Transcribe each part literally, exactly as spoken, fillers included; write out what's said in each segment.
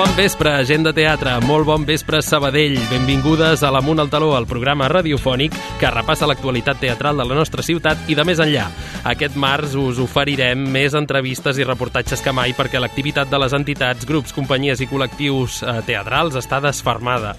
bon vespre, gent de teatre, molt bon vespre, Sabadell. Benvingudes a l'Amunt al Taló, el programa radiofònic que repassa l'actualitat teatral de la nostra ciutat i de més enllà. Aquest març us oferirem més entrevistes i reportatges que mai perquè l'activitat de les entitats, grups, companyies i col·lectius eh, teatrals està desfermada.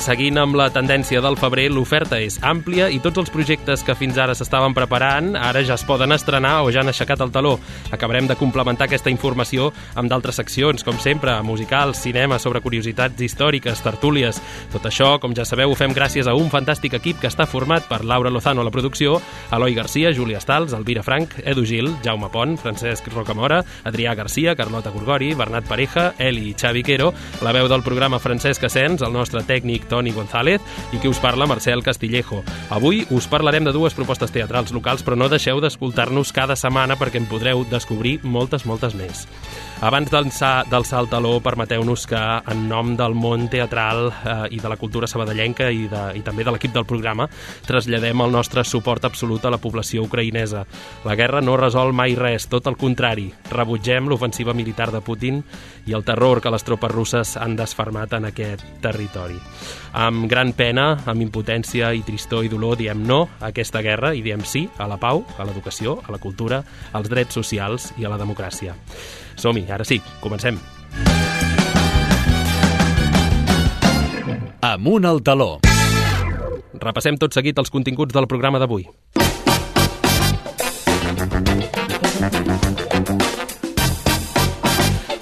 Seguint amb la tendència del febrer, l'oferta és àmplia i tots els projectes que fins ara s'estaven preparant ara ja es poden estrenar o ja han aixecat el taló. Acabarem de complementar aquesta informació amb d'altres seccions, com sempre, musicals, cinema, sobre curiositats històriques, tertúlies. Tot això, com ja sabeu, ho fem gràcies a un fantàstic equip que està format per Laura Lozano a la producció, Eloi Garcia, Júlia Stals, Elvira Frank, Edu Gil, Jaume Pont, Francesc Rocamora, Adrià Garcia, Carlota Gorgori, Bernat Pareja, Eli i Xavi Quero, la veu del programa Francesc Asens, el nostre tècnic Toni González i qui us parla, Marcel Castillejo. Avui us parlarem de dues propostes teatrals locals, però no deixeu d'escoltar-nos cada setmana perquè en podreu descobrir moltes, moltes més. Abans d'alçar el taló, permeteu-nos que, en nom del món teatral eh, i de la cultura sabadellenca i, de, i també de l'equip del programa, traslladem el nostre suport absolut a la població ucraïnesa. La guerra no resol mai res, tot el contrari. Rebutgem l'ofensiva militar de Putin i el terror que les tropes russes han desfermat en aquest territori. Amb gran pena, amb impotència i tristor i dolor, diem no a aquesta guerra i diem sí a la pau, a l'educació, a la cultura, als drets socials i a la democràcia. Som-hi, ara sí, comencem. Amunt al taló. Repassem tot seguit els continguts del programa d'avui.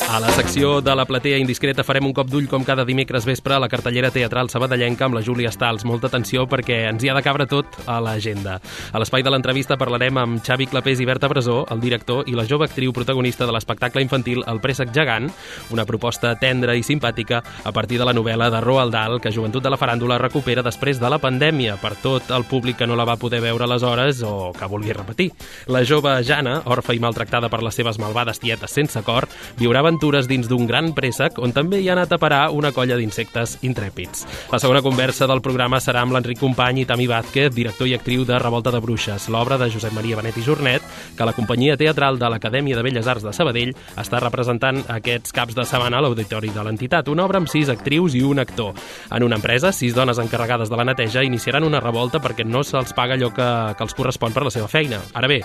A la secció de la platea indiscreta farem un cop d'ull com cada dimecres vespre a la cartellera teatral sabadellenca amb la Júlia Stals. Molta atenció perquè ens hi ha de cabre tot a l'agenda. A l'espai de l'entrevista parlarem amb Xavi Clapés i Berta Brasó, el director i la jove actriu protagonista de l'espectacle infantil El préssec gegant, una proposta tendra i simpàtica a partir de la novel·la de Roald Dahl que Joventut de la Faràndula recupera després de la pandèmia per tot el públic que no la va poder veure aleshores o que vulgui repetir. La jove Jana, orfa i maltractada per les seves malvades tietes sense cor, viurà aventures dins d'un gran préssec on també hi ha anat a parar una colla d'insectes intrèpids. La segona conversa del programa serà amb l'Enric Company i Tami Vázquez, director i actriu de Revolta de Bruixes, l'obra de Josep Maria Benet i Jornet, que la companyia teatral de l'Acadèmia de Belles Arts de Sabadell està representant aquests caps de setmana a l'auditori de l'entitat. Una obra amb sis actrius i un actor. En una empresa, sis dones encarregades de la neteja iniciaran una revolta perquè no se'ls paga allò que, que els correspon per la seva feina. Ara bé,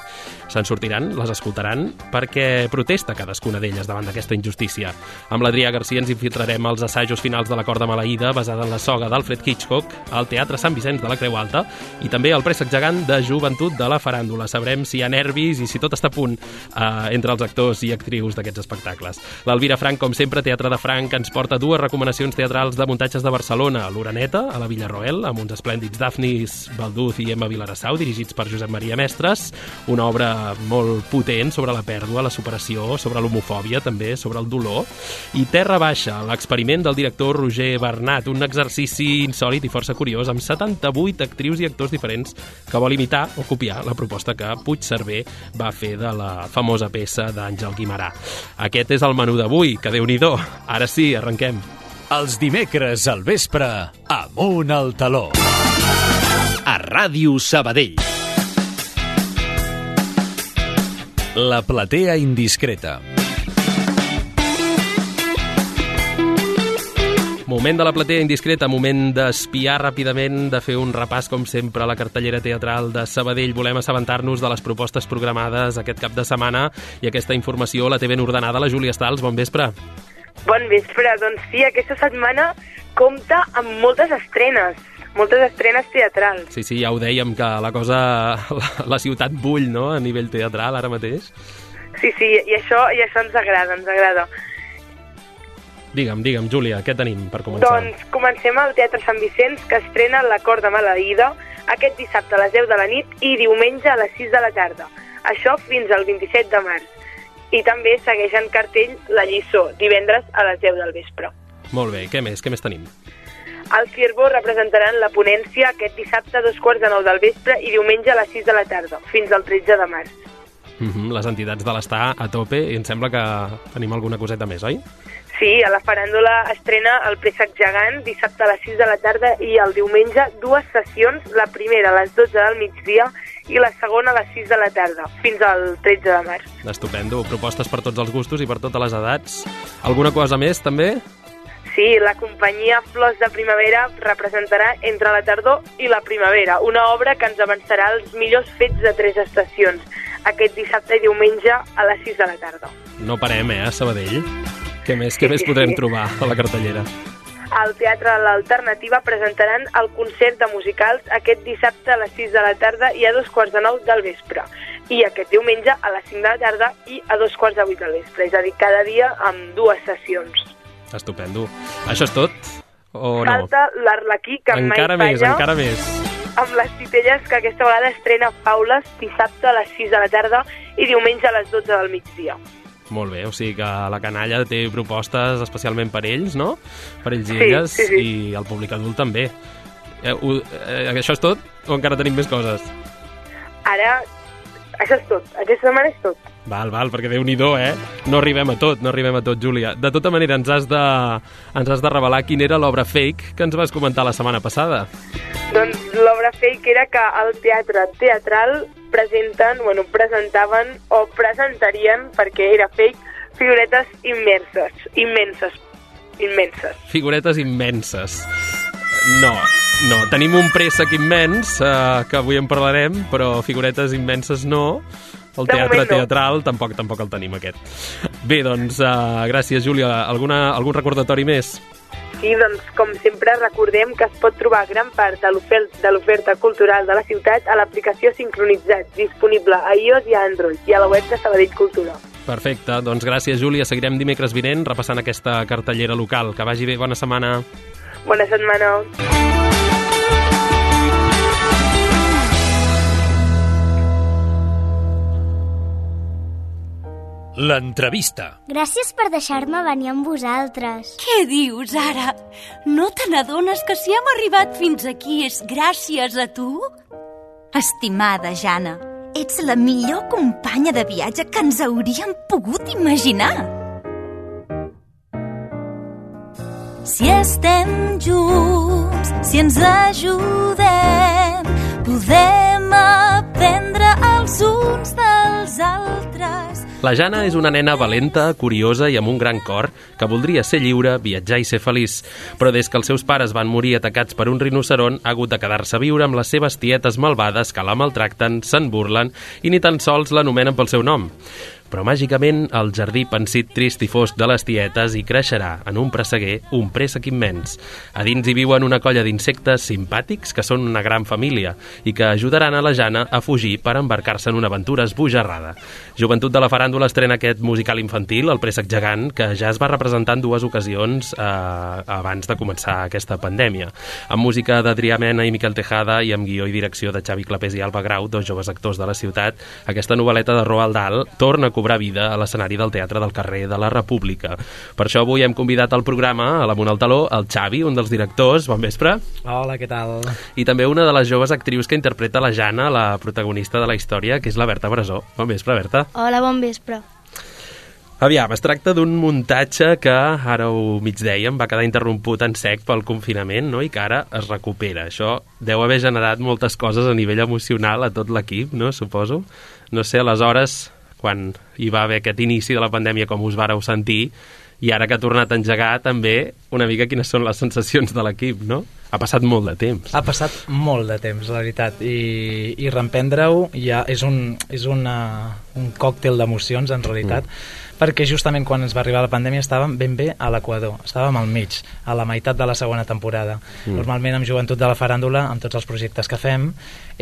se'n sortiran, les escoltaran, perquè protesta cadascuna d'elles davant d'aquesta injustícia. Amb l'Adrià Garcia ens infiltrarem als assajos finals de l'acord de maleïda basada en la soga d'Alfred Hitchcock, al Teatre Sant Vicenç de la Creu Alta i també al préssec gegant de Joventut de la Faràndula. Sabrem si hi ha nervis i si tot està a punt eh, entre els actors i actrius d'aquests espectacles. L'Elvira Frank, com sempre, Teatre de Frank, ens porta dues recomanacions teatrals de muntatges de Barcelona. L'Oreneta, a la Villarroel, amb uns esplèndids Dafnis Balduz i Emma Vilarassau, dirigits per Josep Maria Mestres, una obra molt potent sobre la pèrdua, la superació, sobre l'homofòbia també, sobre el dolor, i Terra Baixa, l'experiment del director Roger Bernat, un exercici insòlit i força curiós amb setanta-vuit actrius i actors diferents que vol imitar o copiar la proposta que Puigcerver va fer de la famosa peça d'Àngel Guimerà. Aquest és el menú d'avui, que Déu-n'hi-do. Ara sí, arrenquem. Els dimecres al vespre, Amunt al taló. A Ràdio Sabadell. La platea indiscreta. Moment de la platea indiscreta, moment d'espiar ràpidament, de fer un repàs, com sempre, a la cartellera teatral de Sabadell. Volem assabentar-nos de les propostes programades aquest cap de setmana i aquesta informació la té ben ordenada la Júlia Stals. Bon vespre. Bon vespre. Doncs sí, aquesta setmana compta amb moltes estrenes, moltes estrenes teatrals. Sí, sí, ja ho dèiem, que la cosa, la, la ciutat bull, no?, a nivell teatral ara mateix. Sí, sí, i això, i això ens agrada, ens agrada. Digue'm, digue'm, Júlia, què tenim per començar? Doncs comencem al Teatre Sant Vicenç, que estrena l'Acord de maleïda aquest dissabte a les deu de la nit i diumenge a les sis de la tarda. Això fins al vint-i-set de març. I també segueix en cartell La lliçó, divendres a les deu del vespre. Molt bé, què més? Què més tenim? Al Ciervo representaran la ponència aquest dissabte a dos quarts de nou del vespre i diumenge a les sis de la tarda, fins al tretze de març. Mm-hmm, les entitats de l'Estar a tope i em sembla que tenim alguna coseta més, oi? Sí, a la Faràndula estrena El préssec gegant dissabte a les sis de la tarda i el diumenge dues sessions, la primera a les dotze del migdia i la segona a les sis de la tarda, fins al tretze de març. Estupendo, propostes per tots els gustos i per totes les edats. Alguna cosa més, també? sí, la companyia Flors de Primavera representarà Entre la tardor i la primavera, una obra que ens avançarà els millors fets de tres estacions, aquest dissabte i diumenge a les sis de la tarda. No parem, eh, a Sabadell? Què més, què més podrem trobar a la cartellera? Al Teatre L'Alternativa presentaran el concert de musicals aquest dissabte a les sis de la tarda i a dos quarts de nou del vespre. I aquest diumenge a les cinc de la tarda i a dos quarts de vuit del vespre. És a dir, cada dia amb dues sessions. Estupendo. Això és tot? O no? Falta l'Arlequí, que encara mai més, falla. encara més. Amb les titelles, que aquesta vegada estrena Faules dissabte a les sis de la tarda i diumenge a les dotze del migdia. Molt bé, o sigui que la canalla té propostes especialment per ells, no? Per ells i Sí, elles, sí, sí. i el públic adult també. Eh, ho, eh, això és tot o encara tenim més coses? Ara, això és tot. Aquesta setmana és tot. Val, val, perquè Déu-n'hi-do, eh? No arribem a tot, no arribem a tot, Júlia. De tota manera, ens has de, ens has de revelar quina era l'obra fake que ens vas comentar la setmana passada. Doncs l'obra fake era que al teatre teatral presenten, bueno, presentaven o presentarien, perquè era fake, figuretes immerses, immenses, immenses. Figuretes immenses. No, no. Tenim un préssec immens, eh, que avui en parlarem, però figuretes immenses no. El De teatre moment no. teatral tampoc tampoc el tenim, aquest. Bé, doncs, uh, gràcies, Júlia. Alguna, algun recordatori més? Sí, doncs, com sempre, recordem que es pot trobar gran part de l'oferta de l'oferta cultural de la ciutat a l'aplicació Sincronitzat, disponible a iOS i a Android, i a la web de Sabadell Cultura. Perfecte, doncs gràcies, Júlia. Seguirem dimecres vinent repassant aquesta cartellera local. Que vagi bé, bona setmana. Bona setmana. L'entrevista. Gràcies per deixar-me venir amb vosaltres. Què dius, ara? No te n'adones que si hem arribat fins aquí és gràcies a tu? Estimada Jana, ets la millor companya de viatge que ens hauríem pogut imaginar. Si estem junts, si ens ajudem, podem aprendre els uns dels altres. La Jana és una nena valenta, curiosa i amb un gran cor que voldria ser lliure, viatjar i ser feliç. Però des que els seus pares van morir atacats per un rinoceront, ha hagut de quedar-se a viure amb les seves tietes malvades que la maltracten, se'n burlen i ni tan sols l'anomenen pel seu nom. Però màgicament el jardí pensit, trist i fosc de les tietes hi creixerà en un presseguer un préssec immens. A dins hi viuen una colla d'insectes simpàtics que són una gran família i que ajudaran a la Jana a fugir per embarcar-se en una aventura esbojarrada. Joventut de la Faràndula estrena aquest musical infantil, El préssec gegant, que ja es va representar en dues ocasions eh, abans de començar aquesta pandèmia. Amb música d'Adrià Mena i Miquel Tejada i amb guió i direcció de Xavi Clapés i Alba Grau, dos joves actors de la ciutat, aquesta novel·leta de Roald Dahl torna a cobrar vida a l'escenari del Teatre del Carrer de la República. Per això avui hem convidat al programa, a l'Amunt al Taló, el Xavi, un dels directors. Bon vespre. Hola, què tal? I també una de les joves actrius que interpreta la Jana, la protagonista de la història, que és la Berta Brasó. Bon vespre, Berta. Hola, bon vespre. Aviam, es tracta d'un muntatge que, ara ho mig dèiem, va quedar interromput en sec pel confinament, no? I que ara es recupera. Això deu haver generat moltes coses a nivell emocional a tot l'equip, no? Suposo. No sé, aleshores, quan hi va haver aquest inici de la pandèmia, com us vareu sentir, i ara que ha tornat a engegar també una mica quines són les sensacions de l'equip, no? Ha passat molt de temps. Ha passat molt de temps, la veritat, i, i reemprendre-ho ja és un, és una, un còctel d'emocions, en realitat, mm. perquè justament quan ens va arribar la pandèmia estàvem ben bé a l'equador, estàvem al mig, a la meitat de la segona temporada. Mm. Normalment amb Joventut de la Faràndula, amb tots els projectes que fem,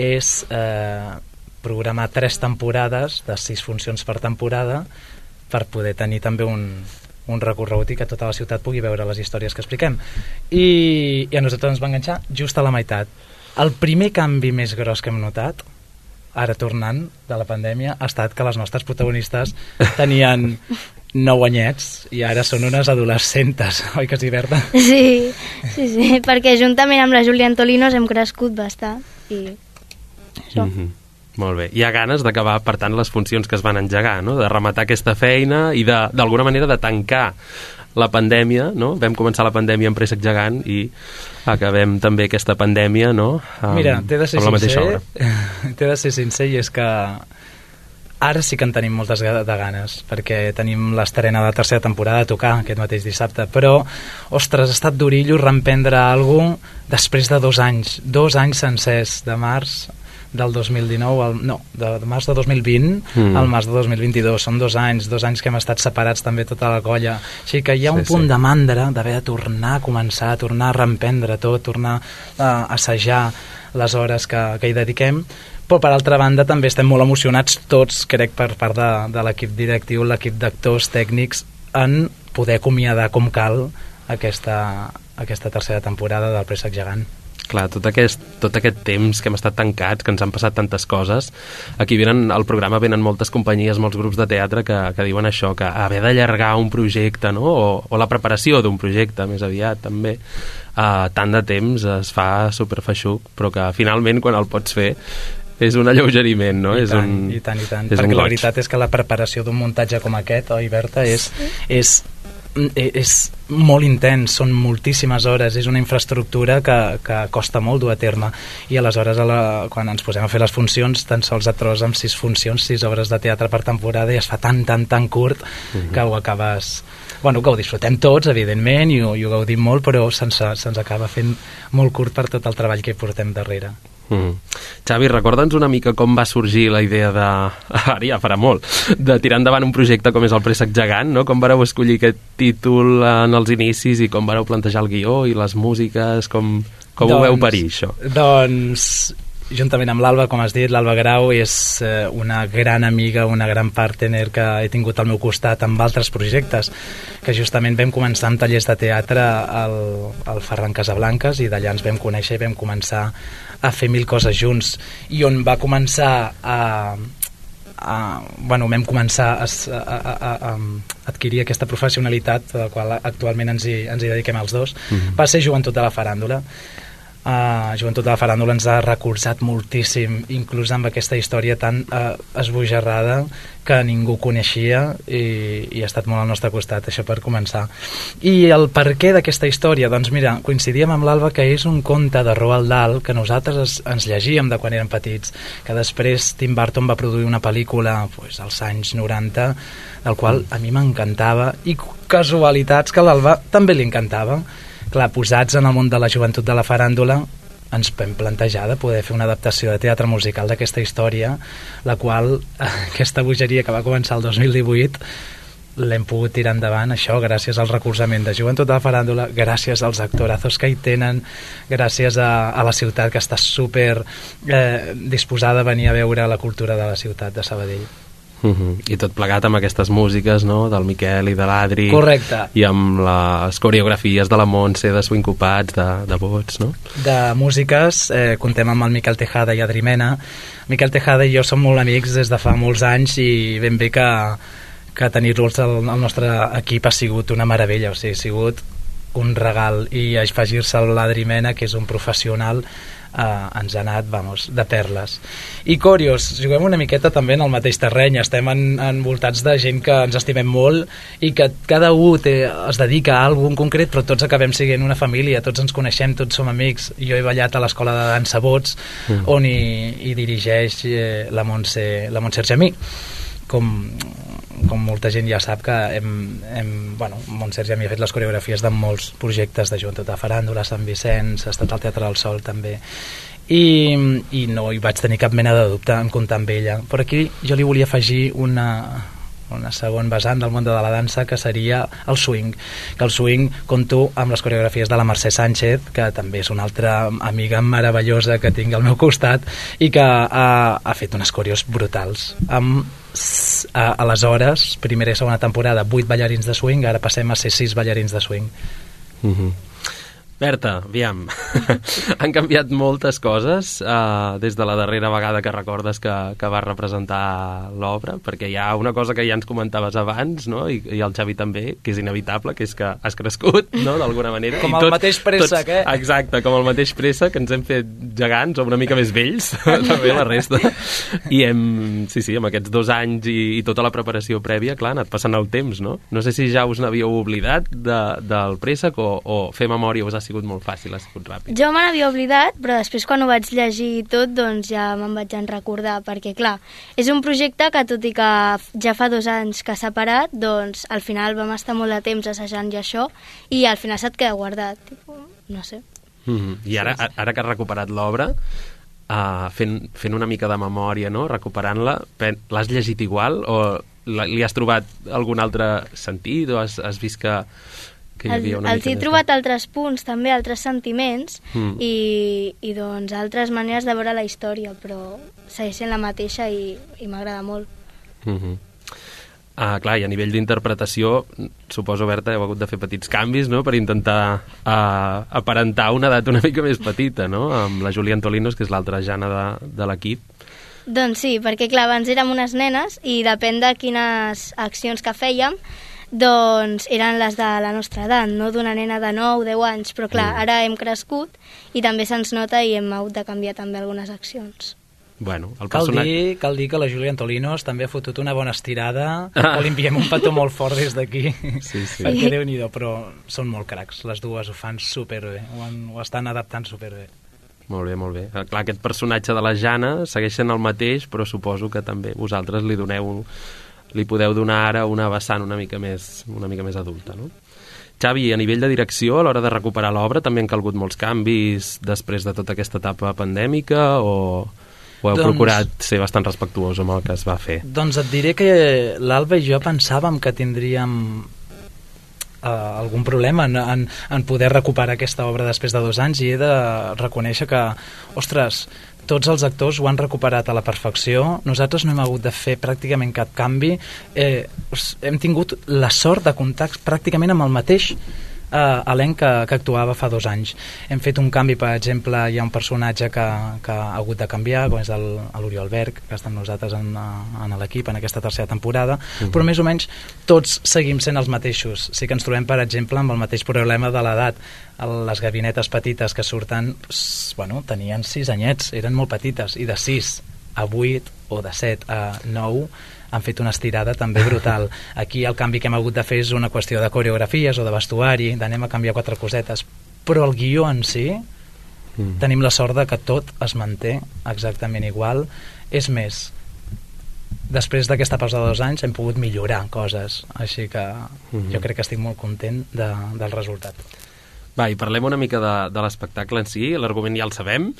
és eh, programar tres temporades de sis funcions per temporada per poder tenir també un, un recorregut i que tota la ciutat pugui veure les històries que expliquem. I, i a nosaltres ens va enganxar just a la meitat. El primer canvi més gros que hem notat, ara tornant de la pandèmia, ha estat que les nostres protagonistes tenien nou anyets i ara són unes adolescentes, oi que sí, Berta? Sí, sí, sí, perquè juntament amb la Júlia Antolinos hem crescut bastant i això. Mm-hmm. Molt bé. Hi ha ganes d'acabar, per tant, les funcions que es van engegar, no? De rematar aquesta feina i d'alguna manera de tancar la pandèmia, no? Vam començar la pandèmia amb Préssec gegant i acabem també aquesta pandèmia, no? Amb, Mira, t'he de ser amb la mateixa sincer, obra. t'he de ser sincer i és que Ara sí que en tenim moltes de ganes, perquè tenim l'estrena de la tercera temporada a tocar aquest mateix dissabte, però, ostres, ha estat d'orillo reemprendre alguna cosa després de dos anys, dos anys sencers, de març del dos mil dinou, al, no, de, de març de dos mil vint mm. al març de dos mil vint-i-dos, són dos anys, dos anys que hem estat separats també tota la colla, així que hi ha un sí, punt sí. de mandra d'haver de tornar a començar, a tornar a reemprendre tot, tornar a assajar les hores que, que hi dediquem, però per altra banda també estem molt emocionats tots, crec, per part de, de l'equip directiu, l'equip d'actors tècnics, en poder acomiadar com cal aquesta, aquesta tercera temporada del Préssec Gegant. Clar, tot aquest, tot aquest temps que hem estat tancats, que ens han passat tantes coses, aquí venen, al programa venen moltes companyies, molts grups de teatre que, que diuen això, que haver d'allargar un projecte, no? o, o la preparació d'un projecte, més aviat, també, uh, tant de temps es fa superfeixuc, però que finalment, quan el pots fer, és un alleugeriment, no? I és tant, un, i tant, i tant, perquè la veritat és que la preparació d'un muntatge com aquest, oi, Berta, és, és, és molt intens, són moltíssimes hores, és una infraestructura que, que costa molt dur a terme, i aleshores a la, quan ens posem a fer les funcions, tan sols et trobes amb sis funcions, sis obres de teatre per temporada, i es fa tan, tan, tan curt uh-huh. que ho acabes... Bueno, que ho disfrutem tots, evidentment, i ho, i ho gaudim molt, però se'ns, se'ns acaba fent molt curt per tot el treball que hi portem darrere. Mm. Xavi, recorda'ns una mica com va sorgir la idea de, ara ja farà molt, de tirar endavant un projecte com és el Préssec Gegant, no? Com vareu escollir aquest títol en els inicis i com vareu plantejar el guió i les músiques, com, com doncs, ho veu parir, això? Doncs, juntament amb l'Alba, com has dit, l'Alba Grau és eh, una gran amiga, una gran partner que he tingut al meu costat amb altres projectes, que justament vam començar amb tallers de teatre al, al Ferran Casablanques, i d'allà ens vam conèixer i vam començar a fer mil coses junts, i on va començar a, a bueno, vam començar a, a, a, a adquirir aquesta professionalitat de la qual actualment ens hi, ens hi dediquem els dos, mm-hmm. va ser Joventut de la Faràndula. Uh, Joventut de la Faràndula ens ha recolzat moltíssim, inclús amb aquesta història tan uh, esbojarrada que ningú coneixia, i, i ha estat molt al nostre costat, això per començar. I el perquè d'aquesta història, doncs mira, coincidíem amb l'Alba que és un conte de Roald Dahl que nosaltres es, ens llegíem de quan érem petits, que després Tim Burton va produir una pel·lícula pues, als anys noranta, del qual a mi m'encantava, i casualitats que a l'Alba també li encantava. Clar, posats en el món de la joventut de la faràndula, ens vam plantejar de poder fer una adaptació de teatre musical d'aquesta història, la qual, aquesta bogeria que va començar el dos mil divuit, l'hem pogut tirar endavant, això, gràcies al recolzament de Joventut de la Faràndula, gràcies als actorazos que hi tenen, gràcies a, a la ciutat, que està super eh, disposada a venir a veure la cultura de la ciutat de Sabadell. Uh-huh. I tot plegat amb aquestes músiques, no?, del Miquel i de l'Adri. Correcte. I amb les coreografies de la Montse, de Swingcopats, de, de Bots, no? De músiques, eh, contem amb el Miquel Tejada i Adri Mena. Miquel Tejada i jo som molt amics des de fa molts anys, i ben bé que, que tenir-los al, al nostre equip ha sigut una meravella, o sigui, ha sigut un regal, i afegir-se l'Adri Mena, que és un professional, Uh, ens ha anat, vamos, de perles. I Còrios, juguem una miqueta també en el mateix terreny, estem en, envoltats de gent que ens estimem molt i que cada un té, es dedica a alguna concret, però tots acabem sent una família, tots ens coneixem, tots som amics. Jo he ballat a l'escola de dansa Bots, mm. on hi, hi dirigeix eh, la Montse, la Montse Argemí. Com, com molta gent ja sap que hem, hem, bueno, Montse Argemí ha fet les coreografies de molts projectes de Joventut de Faràndula, Sant Vicenç, ha estat al Teatre del Sol també, i, i no hi vaig tenir cap mena de dubte en comptar amb ella. Però aquí jo li volia afegir una, una segon vessant del món de la dansa, que seria el swing, que el swing compto amb les coreografies de la Mercè Sánchez, que també és una altra amiga meravellosa que tinc al meu costat, i que ha, ha fet unes coreos brutals amb a, aleshores, primera i segona temporada, vuit ballarins de swing, ara passem a ser sis ballarins de swing. Mm-hmm. Berta, aviam, han canviat moltes coses uh, des de la darrera vegada que recordes que, que vas representar l'obra, perquè hi ha una cosa que ja ens comentaves abans, no? I, i el Xavi també, que és inevitable, que és que has crescut, no?, d'alguna manera. Com I el tot, mateix préssec, tots, eh? Exacte, com el mateix préssec, que ens hem fet gegants o una mica més vells, també la resta. I hem, sí, sí, amb aquests dos anys i, i tota la preparació prèvia, clar, ha anat passant el temps, no? No sé si ja us n'havíeu oblidat de, del préssec o, o fer memòria us ha sigut sigut molt fàcil, ha sigut ràpid? Jo me n'havia oblidat, però després quan ho vaig llegir tot, doncs ja me'n vaig en recordar, perquè clar, és un projecte que tot i que ja fa dos anys que s'ha parat, doncs al final vam estar molt de temps assajant i això, i al final se't queda guardat, tipus, no sé. Mm-hmm. I ara, ara que has recuperat l'obra, uh, fent, fent una mica de memòria, no? Recuperant-la, l'has llegit igual o li has trobat algun altre sentit o has, has vist que, que hi havia una els mica he trobat de... altres punts, també altres sentiments mm. i, i doncs altres maneres de veure la història, però segueix sent la mateixa i, i m'agrada molt. Mm-hmm. Ah, clar, i a nivell d'interpretació, suposo, Berta, heu hagut de fer petits canvis, no?, per intentar uh, aparentar una edat una mica més petita, no?, amb la Júlia Antolinos, que és l'altra Jana de, de l'equip. Doncs sí, perquè clar, abans érem unes nenes i depèn de quines accions que fèiem, doncs eren les de la nostra edat, no d'una nena de nou o deu anys, però clar, mm. ara hem crescut i també se'ns nota i hem hagut de canviar també algunes accions. Bueno, el cal, personatge... dir, cal dir que la Júlia Antolinos també ha fotut una bona estirada, ah. que li enviem un petó molt fort des d'aquí, sí, sí. perquè Déu-n'hi-do, però són molt cracs, les dues ho fan superbé, ho, han, ho estan adaptant superbé. Molt bé, molt bé. Clar, aquest personatge de la Jana segueix sent el mateix, però suposo que també vosaltres li doneu, li podeu donar ara una vessant una mica més, una mica més adulta, no? Xavi, a nivell de direcció, a l'hora de recuperar l'obra, també han calgut molts canvis després de tota aquesta etapa pandèmica o... o heu doncs, procurat ser bastant respectuós amb el que es va fer? Doncs et diré que l'Alba i jo pensàvem que tindríem uh, algun problema en, en, en poder recuperar aquesta obra després de dos anys i he de reconèixer que, ostres, tots els actors ho han recuperat a la perfecció, nosaltres no hem hagut de fer pràcticament cap canvi, eh, hem tingut la sort de comptar pràcticament amb el mateix Uh, elenc que, que actuava fa dos anys. Hem fet un canvi, per exemple, hi ha un personatge que, que ha hagut de canviar, com és l'Oriol Berg, que està amb nosaltres en, en l'equip en aquesta tercera temporada, uh-huh. però més o menys tots seguim sent els mateixos. Sí que ens trobem, per exemple, amb el mateix problema de l'edat. Les gabinetes petites que surten, bueno, tenien sis anyets, eren molt petites, i de sis a vuit o de set a nou han fet una estirada també brutal. Aquí el canvi que hem hagut de fer és una qüestió de coreografies o de vestuari, d'anem a canviar quatre cosetes, però el guió en si mm. tenim la sort de que tot es manté exactament igual. És més, després d'aquesta pausa de dos anys hem pogut millorar coses, així que mm-hmm. jo crec que estic molt content de, del resultat. Va, i parlem una mica de, de l'espectacle en si, l'argument ja el sabem,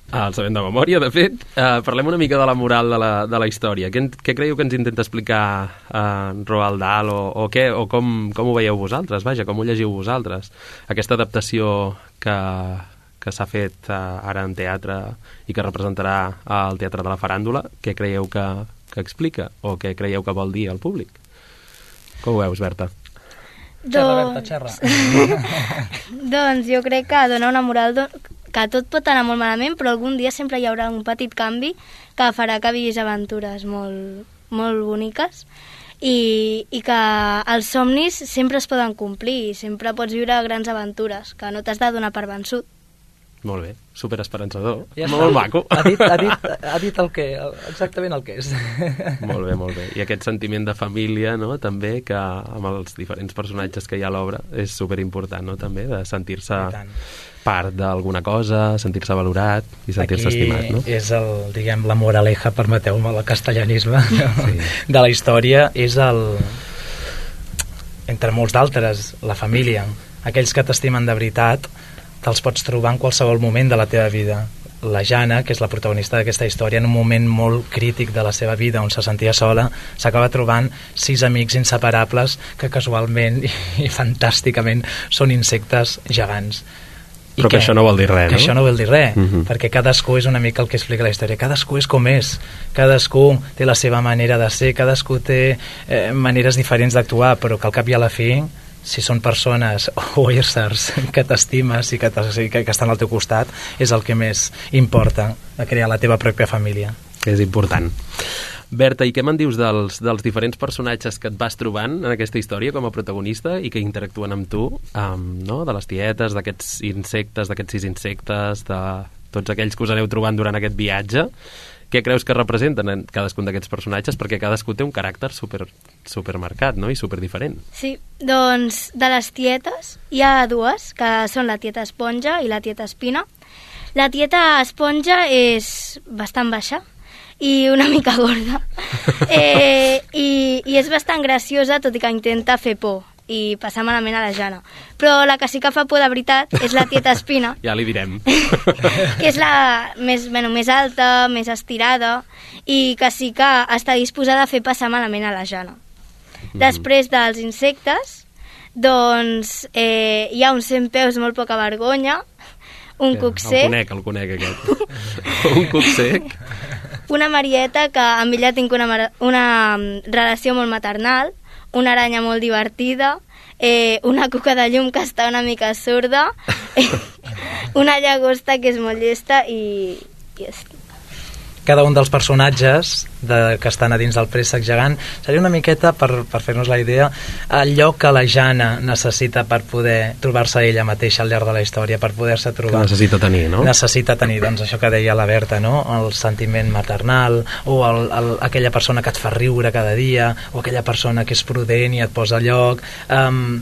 el sabem de memòria, de fet. Uh, parlem una mica de la moral de la, de la història. Què, què creieu que ens intenta explicar uh, Roald Dahl o, o, què, o com, com ho veieu vosaltres? Vaja, com ho llegiu vosaltres? Aquesta adaptació que, que s'ha fet uh, ara en teatre i que representarà al Teatre de la Faràndula, què creieu que, que explica o què creieu que vol dir al públic? Com ho veus, Berta? Xerra, Berta, xerra. Doncs jo crec que dona una moral que tot pot anar molt malament, però algun dia sempre hi haurà un petit canvi que farà que vivís aventures molt, molt boniques i, i que els somnis sempre es poden complir i sempre pots viure grans aventures, que no t'has de donar per vençut. Molt bé, superesperançador, ja molt maco. Ha dit, ha, dit, ha dit el que, exactament el que és. Molt bé, molt bé. I aquest sentiment de família, no?, també, que amb els diferents personatges que hi ha a l'obra és superimportant, no?, també, de sentir-se part d'alguna cosa, sentir-se valorat i sentir-se estimat, no? Aquí és el, diguem, la moraleja, permeteu-me el castellanisme, sí. de la història, és el, entre molts d'altres, la família. Aquells que t'estimen de veritat te'ls pots trobar en qualsevol moment de la teva vida. La Jana, que és la protagonista d'aquesta història, en un moment molt crític de la seva vida on se sentia sola, s'acaba trobant sis amics inseparables que casualment i, i fantàsticament són insectes gegants. I Però que, que això no vol dir res, no? Que això no vol dir res, uh-huh. perquè cadascú és una mica el que explica la història. Cadascú és com és, cadascú té la seva manera de ser, cadascú té eh, maneres diferents d'actuar, però que al cap i a la fi, si són persones o éssers que t'estimes i que, que, que estan al teu costat, és el que més importa, de crear la teva pròpia família. És important. Berta, i què me'n dius dels, dels diferents personatges que et vas trobant en aquesta història com a protagonista i que interactuen amb tu, um, no? De les tietes, d'aquests insectes, d'aquests sis insectes, de tots aquells que us aneu trobant durant aquest viatge? què creus que representen en cadascun d'aquests personatges? Perquè cadascú té un caràcter super, supermarcat, no? I super diferent. Sí, doncs de les tietes hi ha dues, que són la tieta Esponja i la tieta Espina. La tieta Esponja és bastant baixa i una mica gorda. Eh, i, I és bastant graciosa, tot i que intenta fer por i passar malament a la Jana. Però la que sí que fa por de veritat és la tieta Espina. Ja li direm. Que és la més, bueno, més alta, més estirada, i que sí que està disposada a fer passar malament a la Jana. Mm-hmm. Després dels insectes, doncs eh, hi ha un centpeus molt poca vergonya, un ja, cuc sec... El conec, el conec aquest. Un cuc sec. Una Marieta, que amb ella tinc una, una relació molt maternal, una aranya molt divertida, eh, una cuca de llum que està una mica sorda, eh, una llagosta que és molt llesta i, i és... Cada un dels personatges de, que estan a dins del préssec gegant seria una miqueta, per, per fer-nos la idea, allò que la Jana necessita per poder trobar-se ella mateixa al llarg de la història, per poder-se trobar. Que necessita tenir, no? Necessita tenir, doncs, això que deia la Berta, no? El sentiment maternal, o el, el, aquella persona que et fa riure cada dia, o aquella persona que és prudent i et posa a lloc. Um,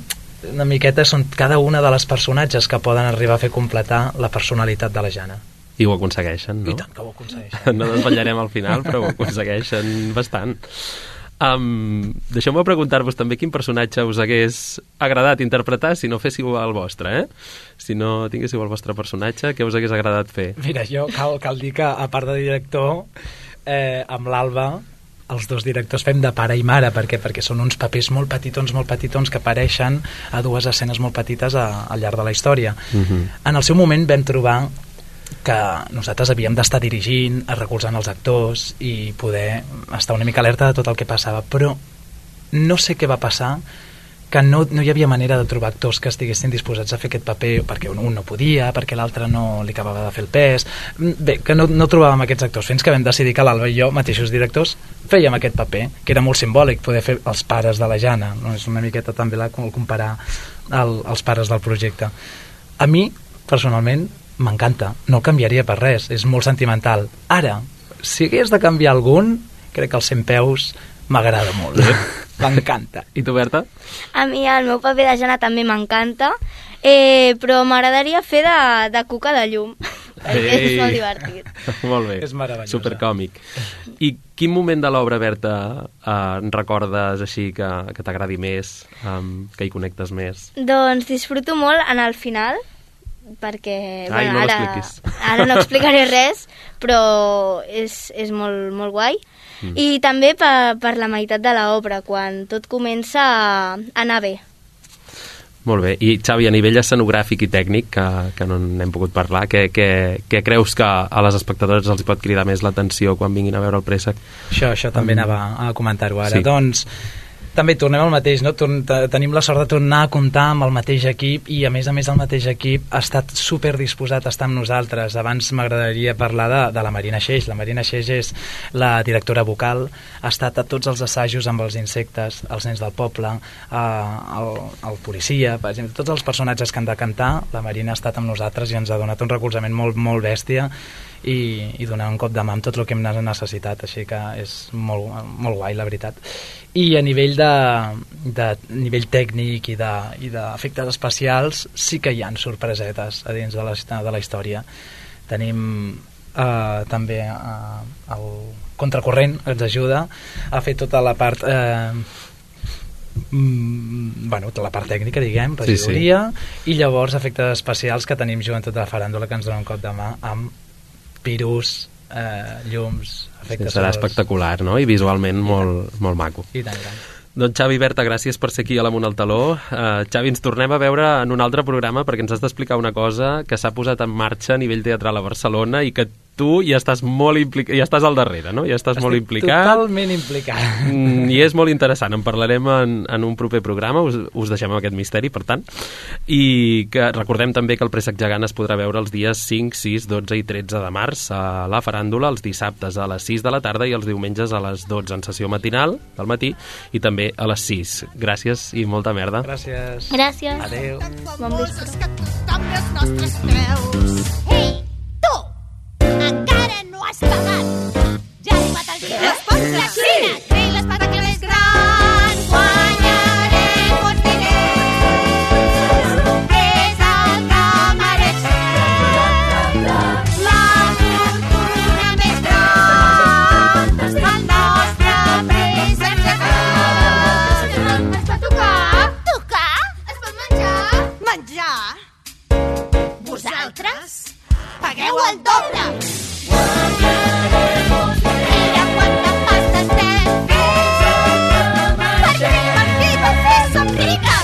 una miqueta són cada una de les personatges que poden arribar a fer completar la personalitat de la Jana. I ho aconsegueixen, no? I tant que ho aconsegueixen. No desvetllarem al final, però ho aconsegueixen bastant. Um, Deixeu-me preguntar-vos també quin personatge us hagués agradat interpretar si no féssiu el vostre, eh? Si no tinguéssiu el vostre personatge, què us hagués agradat fer? Mira, jo cal, cal dir que, a part de director, eh, amb l'Alba, els dos directors fem de pare i mare. Per què? Perquè són uns papers molt petitons, molt petitons, que apareixen a dues escenes molt petites a, al llarg de la història. Uh-huh. En el seu moment vam trobar que nosaltres havíem d'estar dirigint, recolzant els actors i poder estar una mica alerta de tot el que passava, però no sé què va passar, que no, no hi havia manera de trobar actors que estiguessin disposats a fer aquest paper, perquè un, un no podia, perquè l'altre no li acabava de fer el pes. Bé, que no, no trobàvem aquests actors, fins que vam decidir que l'Alba i jo, mateixos directors, fèiem aquest paper, que era molt simbòlic, poder fer els pares de la Jana, no? És una miqueta també la, comparar el, els pares del projecte. A mi, personalment, m'encanta, no el canviaria per res, és molt sentimental. Ara, si hagués de canviar algun, crec que el Centpeus m'agrada molt, eh? M'encanta. I tu, Berta? A mi el meu paper de Jana també m'encanta, eh, però m'agradaria fer de, de cuca de llum, perquè és molt divertit. Molt bé, és meravellós, supercòmic. I quin moment de l'obra, Berta, eh, recordes així que, que t'agradi més, um, que hi connectes més? Doncs disfruto molt en el final, perquè Ai, bueno, no ara, ara no explicaré res, però és, és molt, molt guai. Mm. I també per, per la meitat de l'obra, quan tot comença a anar bé. Molt bé. I, Xavi, a nivell escenogràfic i tècnic, que, que no n'hem pogut parlar, què, què, què creus que a les espectadores els pot cridar més l'atenció quan vinguin a veure el préssec? Això, això també um, anava a comentar-ho ara. Sí. Doncs també tornem al mateix, no? Torn, tenim la sort de tornar a comptar amb el mateix equip i a més a més el mateix equip ha estat super disposat a estar amb nosaltres. Abans m'agradaria parlar de, de la Marina Xeix. La Marina Xeix és la directora vocal, ha estat a tots els assajos amb els insectes, els nens del poble, eh, el, el policia, per exemple, tots els personatges que han de cantar, la Marina ha estat amb nosaltres i ens ha donat un recolzament molt, molt bèstia i, i donar un cop de mà amb tot el que hem necessitat, així que és molt, molt guai, la veritat. I a nivell de, de nivell tècnic i d'efectes especials sí que hi ha sorpresetes a dins de la, de la història. Tenim eh, també eh, el contracorrent que ens ajuda a fer tota la part eh, mm, bueno, tota la part tècnica, diguem, regidoria, sí, sí. I llavors efectes especials que tenim Joventut de la Faràndula, que ens dona un cop de mà amb pirus, eh, llums, efectes sí, serà sols. espectacular, no? I visualment molt, molt maco. I tant, i tant. Doncs Xavi, Berta, gràcies per ser aquí a l'Amunt al Taló. Uh, Xavi, ens tornem a veure en un altre programa perquè ens has d'explicar una cosa que s'ha posat en marxa a nivell teatral a Barcelona i que tu ja estàs molt implicat, ja estàs al darrere, no? Ja estàs Estic molt implicat. totalment implicat. Mm, I és molt interessant, en parlarem en, en un proper programa, us, us deixem amb aquest misteri, per tant. I que recordem també que el Préssec Gegant es podrà veure els dies cinc, sis, dotze i tretze de març a la Faràndula, els dissabtes a les sis de la tarda i els diumenges a les dotze en sessió matinal del matí i també a les sis. Gràcies i molta merda. Gràcies. Gràcies. Adéu. Bon vespre. Les nostres creus. Ei, tu! Encara no has pagat! vosaltres pagueu el doble. Mira quanta pasta estem fent per divertir, per fer somriure.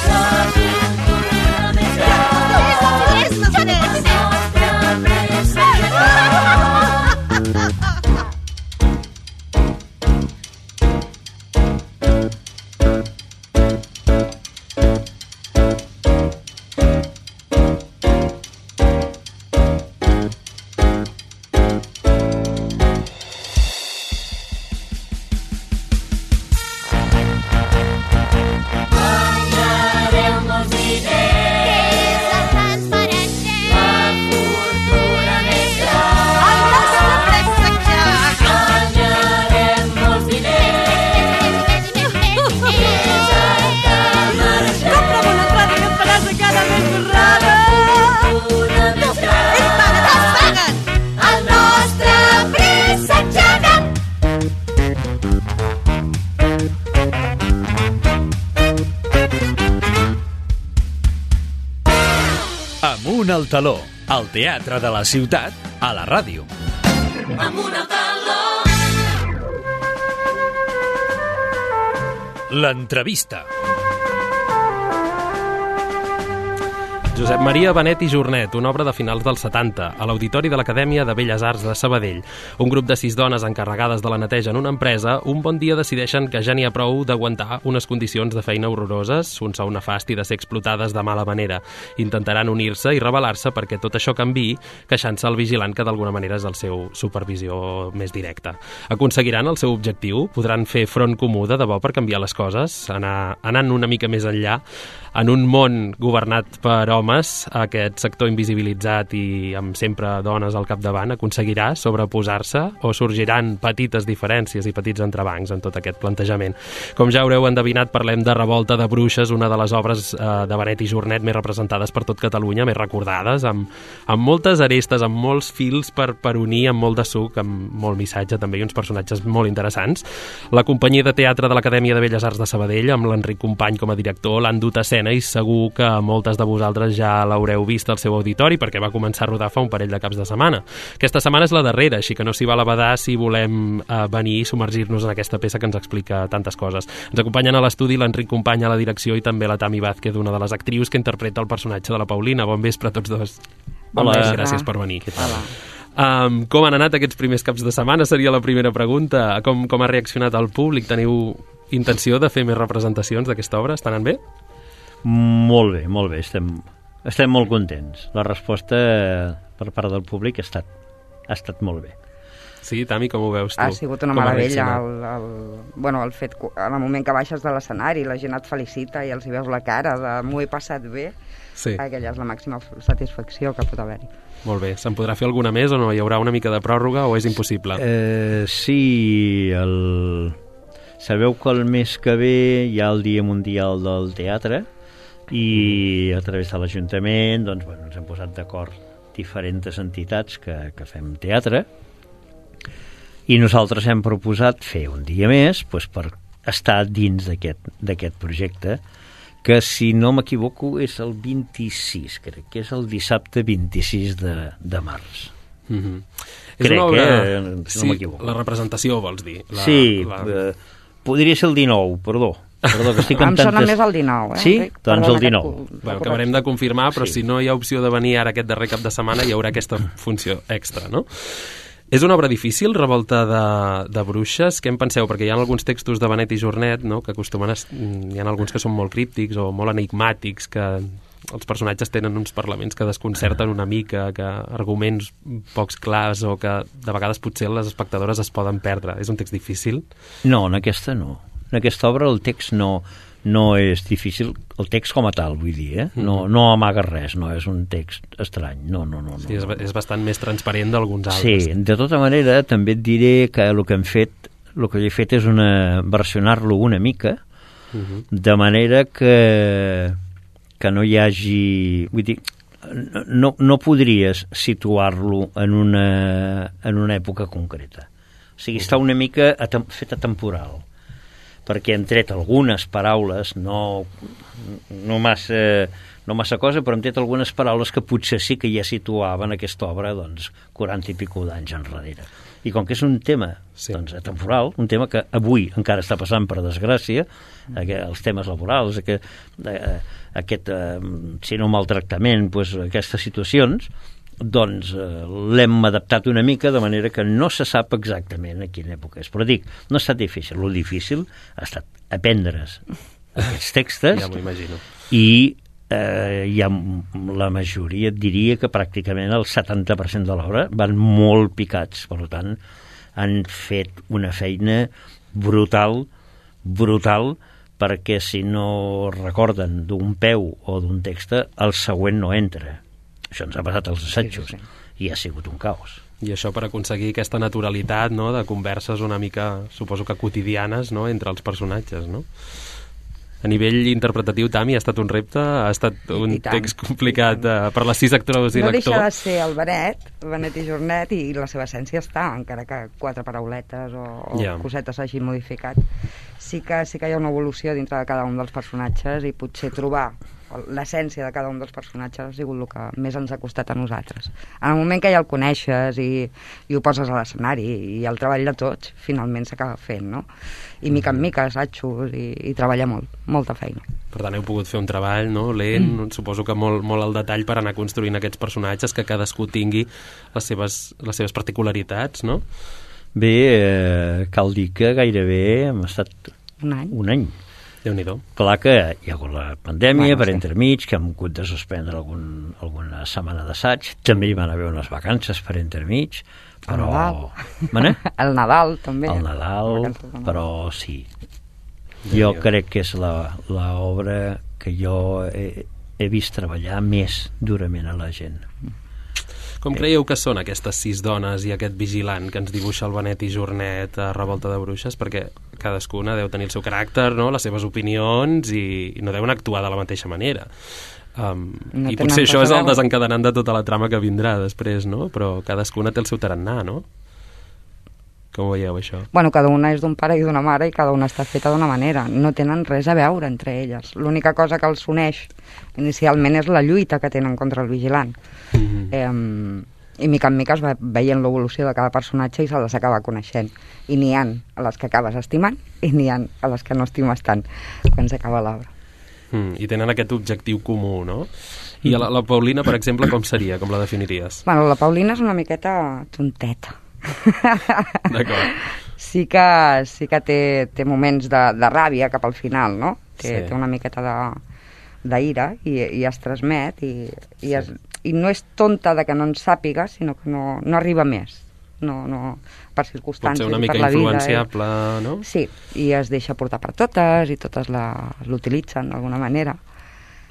Amunt al taló, al teatre de la ciutat, a la ràdio. Amunt al taló. L'entrevista. Josep Maria Benet i Jornet, una obra de finals dels setanta, a l'Auditori de l'Acadèmia de Belles Arts de Sabadell. Un grup de sis dones encarregades de la neteja en una empresa, un bon dia decideixen que ja n'hi ha prou d'aguantar unes condicions de feina horroroses, un sou nefast i de ser explotades de mala manera. Intentaran unir-se i rebel·lar-se perquè tot això canviï, queixant-se al vigilant que d'alguna manera és el seu supervisió més directa. Aconseguiran el seu objectiu? Podran fer front comú de debò per canviar les coses? Anar, anant una mica més enllà, en un món governat per homes, aquest sector invisibilitzat i amb sempre dones al capdavant aconseguirà sobreposar-se o sorgiran petites diferències i petits entrebancs en tot aquest plantejament. Com ja haureu endevinat, parlem de Revolta de Bruixes, una de les obres eh, de Benet i Jornet més representades per tot Catalunya, més recordades, amb, amb moltes arestes, amb molts fils per, per unir, amb molt de suc, amb molt missatge també i uns personatges molt interessants. La companyia de teatre de l'Acadèmia de Belles Arts de Sabadell, amb l'Enric Company com a director, l'han dut a escena i segur que moltes de vosaltres ja l'haureu vist al seu auditori perquè va començar a rodar fa un parell de caps de setmana. Aquesta setmana és la darrera, així que no s'hi val a badar si volem eh, venir i submergir-nos en aquesta peça que ens explica tantes coses. Ens acompanyen a l'estudi l'Enric Company a la direcció i també la Tami Vázquez, una de les actrius que interpreta el personatge de la Paulina. Bon vespre a tots dos. Hola. Bon gràcies per venir. Hola. Um, com han anat aquests primers caps de setmana? Seria la primera pregunta. Com, com ha reaccionat el públic? Teniu intenció de fer més representacions d'aquesta obra? Estan anant bé? Molt bé, molt bé, estem, estem molt contents. La resposta per part del públic ha estat, ha estat molt bé. Sí, Tami, com ho veus tu? Ha sigut una com meravella. El, el, bueno, el fet, en el moment que baixes de l'escenari, la gent et felicita i els hi veus la cara de m'ho he passat bé, sí. Aquella és la màxima satisfacció que pot haver-hi. Molt bé. Se'n podrà fer alguna més o no? Hi haurà una mica de pròrroga o és impossible? Eh, sí, el... sabeu que el mes que ve hi ha el Dia Mundial del Teatre i a través de l'Ajuntament doncs, bueno, ens hem posat d'acord diferents entitats que, que fem teatre i nosaltres hem proposat fer un dia més doncs, per estar dins d'aquest projecte que, si no m'equivoco, és el vint-i-sis, crec que és el dissabte vint-i-sis de, de març. Mm-hmm. Crec, és una obra... eh? No sí, m'equivoco. La representació, vols dir? La, sí, la... Eh, podria ser el dinou, perdó. Perdó, que estic amb em sona tantes... més el dinou, eh? Sí? Enric? Doncs Perdona el dinou. Aquest... Bueno, acabarem de confirmar, però sí. Si no hi ha opció de venir ara aquest darrer cap de setmana, hi haurà aquesta funció extra, no? És una obra difícil, Revolta de, de Bruixes? Què en penseu? Perquè hi ha alguns textos de Benet i Jornet, no?, que acostumen a... Hi ha alguns que són molt críptics o molt enigmàtics, que els personatges tenen uns parlaments que desconcerten una mica, que arguments pocs clars o que de vegades potser les espectadores es poden perdre. És un text difícil? No, en aquesta no. En aquesta obra el text no, no és difícil, el text com a tal, vull dir, eh? No, no amaga res, no és un text estrany, no, no, no. no sí, és, no, no. és bastant més transparent d'alguns altres. Sí, de tota manera, també et diré que el que hem fet, el que he fet és una, versionar-lo una mica, uh-huh. de manera que, que no hi hagi... Vull dir, no, no podries situar-lo en una, en una època concreta. O sigui, uh-huh. està una mica atem, feta temporal, perquè hem tret algunes paraules no, no, massa, no massa cosa, però hem tret algunes paraules que potser sí que ja situaven aquesta obra doncs, quaranta i pico d'anys enrere. I com que és un tema sí. doncs, temporal, un tema que avui encara està passant per desgràcia, eh, els temes laborals, aquest, eh, aquest eh, si no maltractament, doncs, aquestes situacions, doncs eh, l'hem adaptat una mica de manera que no se sap exactament a quina època és. Però dic, no ha estat difícil. Lo difícil ha estat aprendre's aquests textos ja m'ho imagino. I eh, hi ha la majoria, diria que pràcticament el setanta per cent de l'obra van molt picats. Per tant, han fet una feina brutal, brutal, perquè si no recorden d'un peu o d'un text, el següent no entra. Això ens ha passat als assajos sí, sí, sí. i ha sigut un caos. I això per aconseguir aquesta naturalitat, no?, de converses una mica, suposo que quotidianes, no?, entre els personatges, no? A nivell interpretatiu, Tami, ha estat un repte? Ha estat un text complicat uh, per les sis actors i no l'actor? No deixa de ser el Benet, Benet i Jornet, i la seva essència està, encara que quatre parauletes o, o yeah. cosetes hagi modificat. Sí que, sí que hi ha una evolució dintre de cada un dels personatges i potser trobar l'essència de cada un dels personatges ha sigut el que més ens ha costat a nosaltres. En el moment que ja el coneixes i, i ho poses a l'escenari i el treball de tots finalment s'acaba fent, no? I mica en mica assajos i, i treballar molt, molta feina. Per tant, heu pogut fer un treball, no?, lent, mm. suposo que molt, molt al detall per anar construint aquests personatges, que cadascú tingui les seves, les seves particularitats, no? Bé, eh, cal dir que gairebé hem estat un any. Un any. Déu-n'hi-do. Clar que hi ha hagut la pandèmia, bueno, per sí. entremig, que hem hagut de suspendre algun, alguna setmana d'assaig. També hi van haver unes vacances per entremig, però... El Nadal. El Nadal, també. El Nadal, però sí. Jo crec que és l'obra que jo he, he vist treballar més durament a la gent. Com creieu que són aquestes sis dones i aquest vigilant que ens dibuixa el Benet i Jornet a Revolta de Bruixes? Perquè cadascuna deu tenir el seu caràcter, no?, les seves opinions, i, i no deuen actuar de la mateixa manera. Um, no I potser això és el desencadenant de tota la trama que vindrà després, no? Però cadascuna té el seu tarannà, no? Com ho veieu, això? Bueno, cada una és d'un pare i d'una mare i cada una està feta d'una manera. No tenen res a veure entre elles. L'única cosa que els uneix inicialment és la lluita que tenen contra el vigilant. Mm-hmm. Eh, I mica en mica es va veient l'evolució de cada personatge i se les acaba coneixent. I n'hi ha a les que acabes estimant i n'hi ha a les que no estimes tant quan s'acaba l'obra. Mm, I tenen aquest objectiu comú, no? I la, la Paulina, per exemple, com seria? Com la definiries? Bueno, la Paulina és una miqueta tonteta. D'acord. Sí que, sí que té, té moments de, de ràbia cap al final, no? Té, sí. té una miqueta d'ira i, i es transmet i, i, sí. es, i no és tonta de que no en sàpiga, sinó que no, no arriba més. No, no, per circumstàncies i per la vida. Pot ser una mica influenciable, eh? no? Sí, i es deixa portar per totes i totes l'utilitzen d'alguna manera.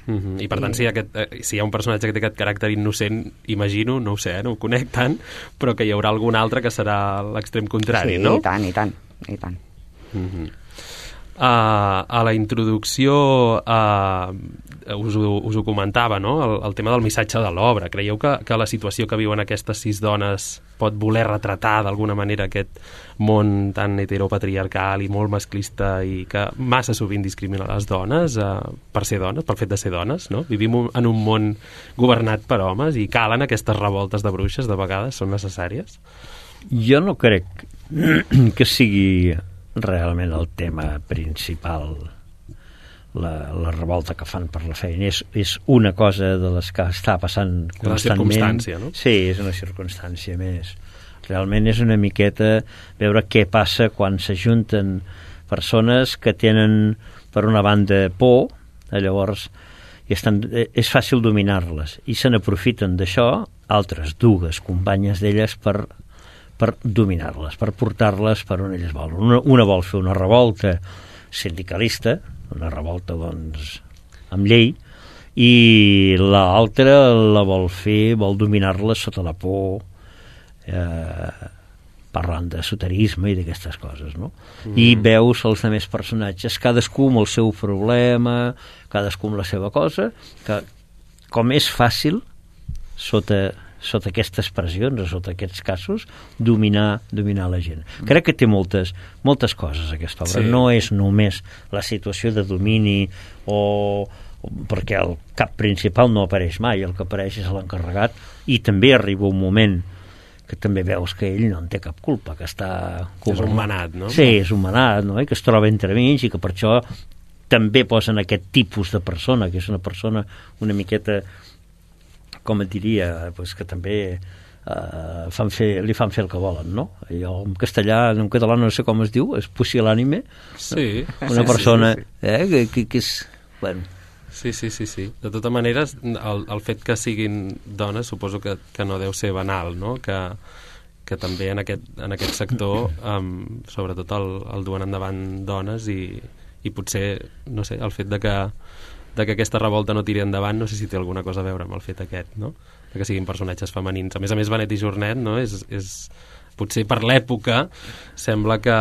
Mm-hmm. I per tant, I... si, aquest, eh, si hi ha un personatge que té aquest caràcter innocent, imagino, no ho sé, no ho conec tant, però que hi haurà algun altre que serà l'extrem contrari, sí, no? Sí, i tant, i tant, i tant. Mm-hmm. Uh, a la introducció uh, us, ho, us ho comentava, no?, el, el tema del missatge de l'obra. Creieu que, que la situació que viuen aquestes sis dones pot voler retratar d'alguna manera aquest món tan heteropatriarcal i molt masclista i que massa sovint discrimina les dones uh, per ser dones, pel fet de ser dones, no? Vivim en un món governat per homes i calen aquestes revoltes de bruixes, de vegades són necessàries? Jo no crec que sigui realment el tema principal, la, la revolta que fan per la feina. És, és una cosa de les que està passant constantment. La circumstància, no? Sí, és una circumstància més. Realment és una miqueta veure què passa quan s'ajunten persones que tenen, per una banda, por, llavors i estan, és fàcil dominar-les, i se n'aprofiten d'això altres dues companyes d'elles per per dominar-les, per portar-les per on elles volen. Una, una vol fer una revolta sindicalista, una revolta, doncs, amb llei, i l'altra la vol fer, vol dominar-les sota la por, eh, parlant d'esoterisme i d'aquestes coses, no? Mm. I veus els altres personatges, cadascú amb el seu problema, cadascú amb la seva cosa, que com és fàcil, sota... sota aquestes pressions o sota aquests casos, dominar, dominar la gent. Crec que té moltes, moltes coses aquesta obra. Sí. No és només la situació de domini o, perquè el cap principal no apareix mai, el que apareix és l'encarregat, i també arriba un moment que també veus que ell no en té cap culpa, que està... És un manat, no? Sí, és un manat, no? I que es troba entremig i que per això també posen aquest tipus de persona, que és una persona una miqueta, com et diria, pues que també eh, fan fer, li fan fer el que volen, no? Jo en castellà, en català no sé com es diu, és pusil·lànime. Sí. Una sí, persona sí, sí, sí. Eh, que, que, que és... Bueno, Sí, sí, sí, sí. De totes maneres, el, el fet que siguin dones suposo que, que no deu ser banal, no? Que, que també en aquest, en aquest sector um, sobretot el, el duen endavant dones i, i potser, no sé, el fet de que, de que aquesta revolta no tiri endavant, no sé si té alguna cosa a veure amb el fet aquest, no? De que siguin personatges femenins. A més a més, Benet i Jornet, no? És, és, potser per l'època sembla que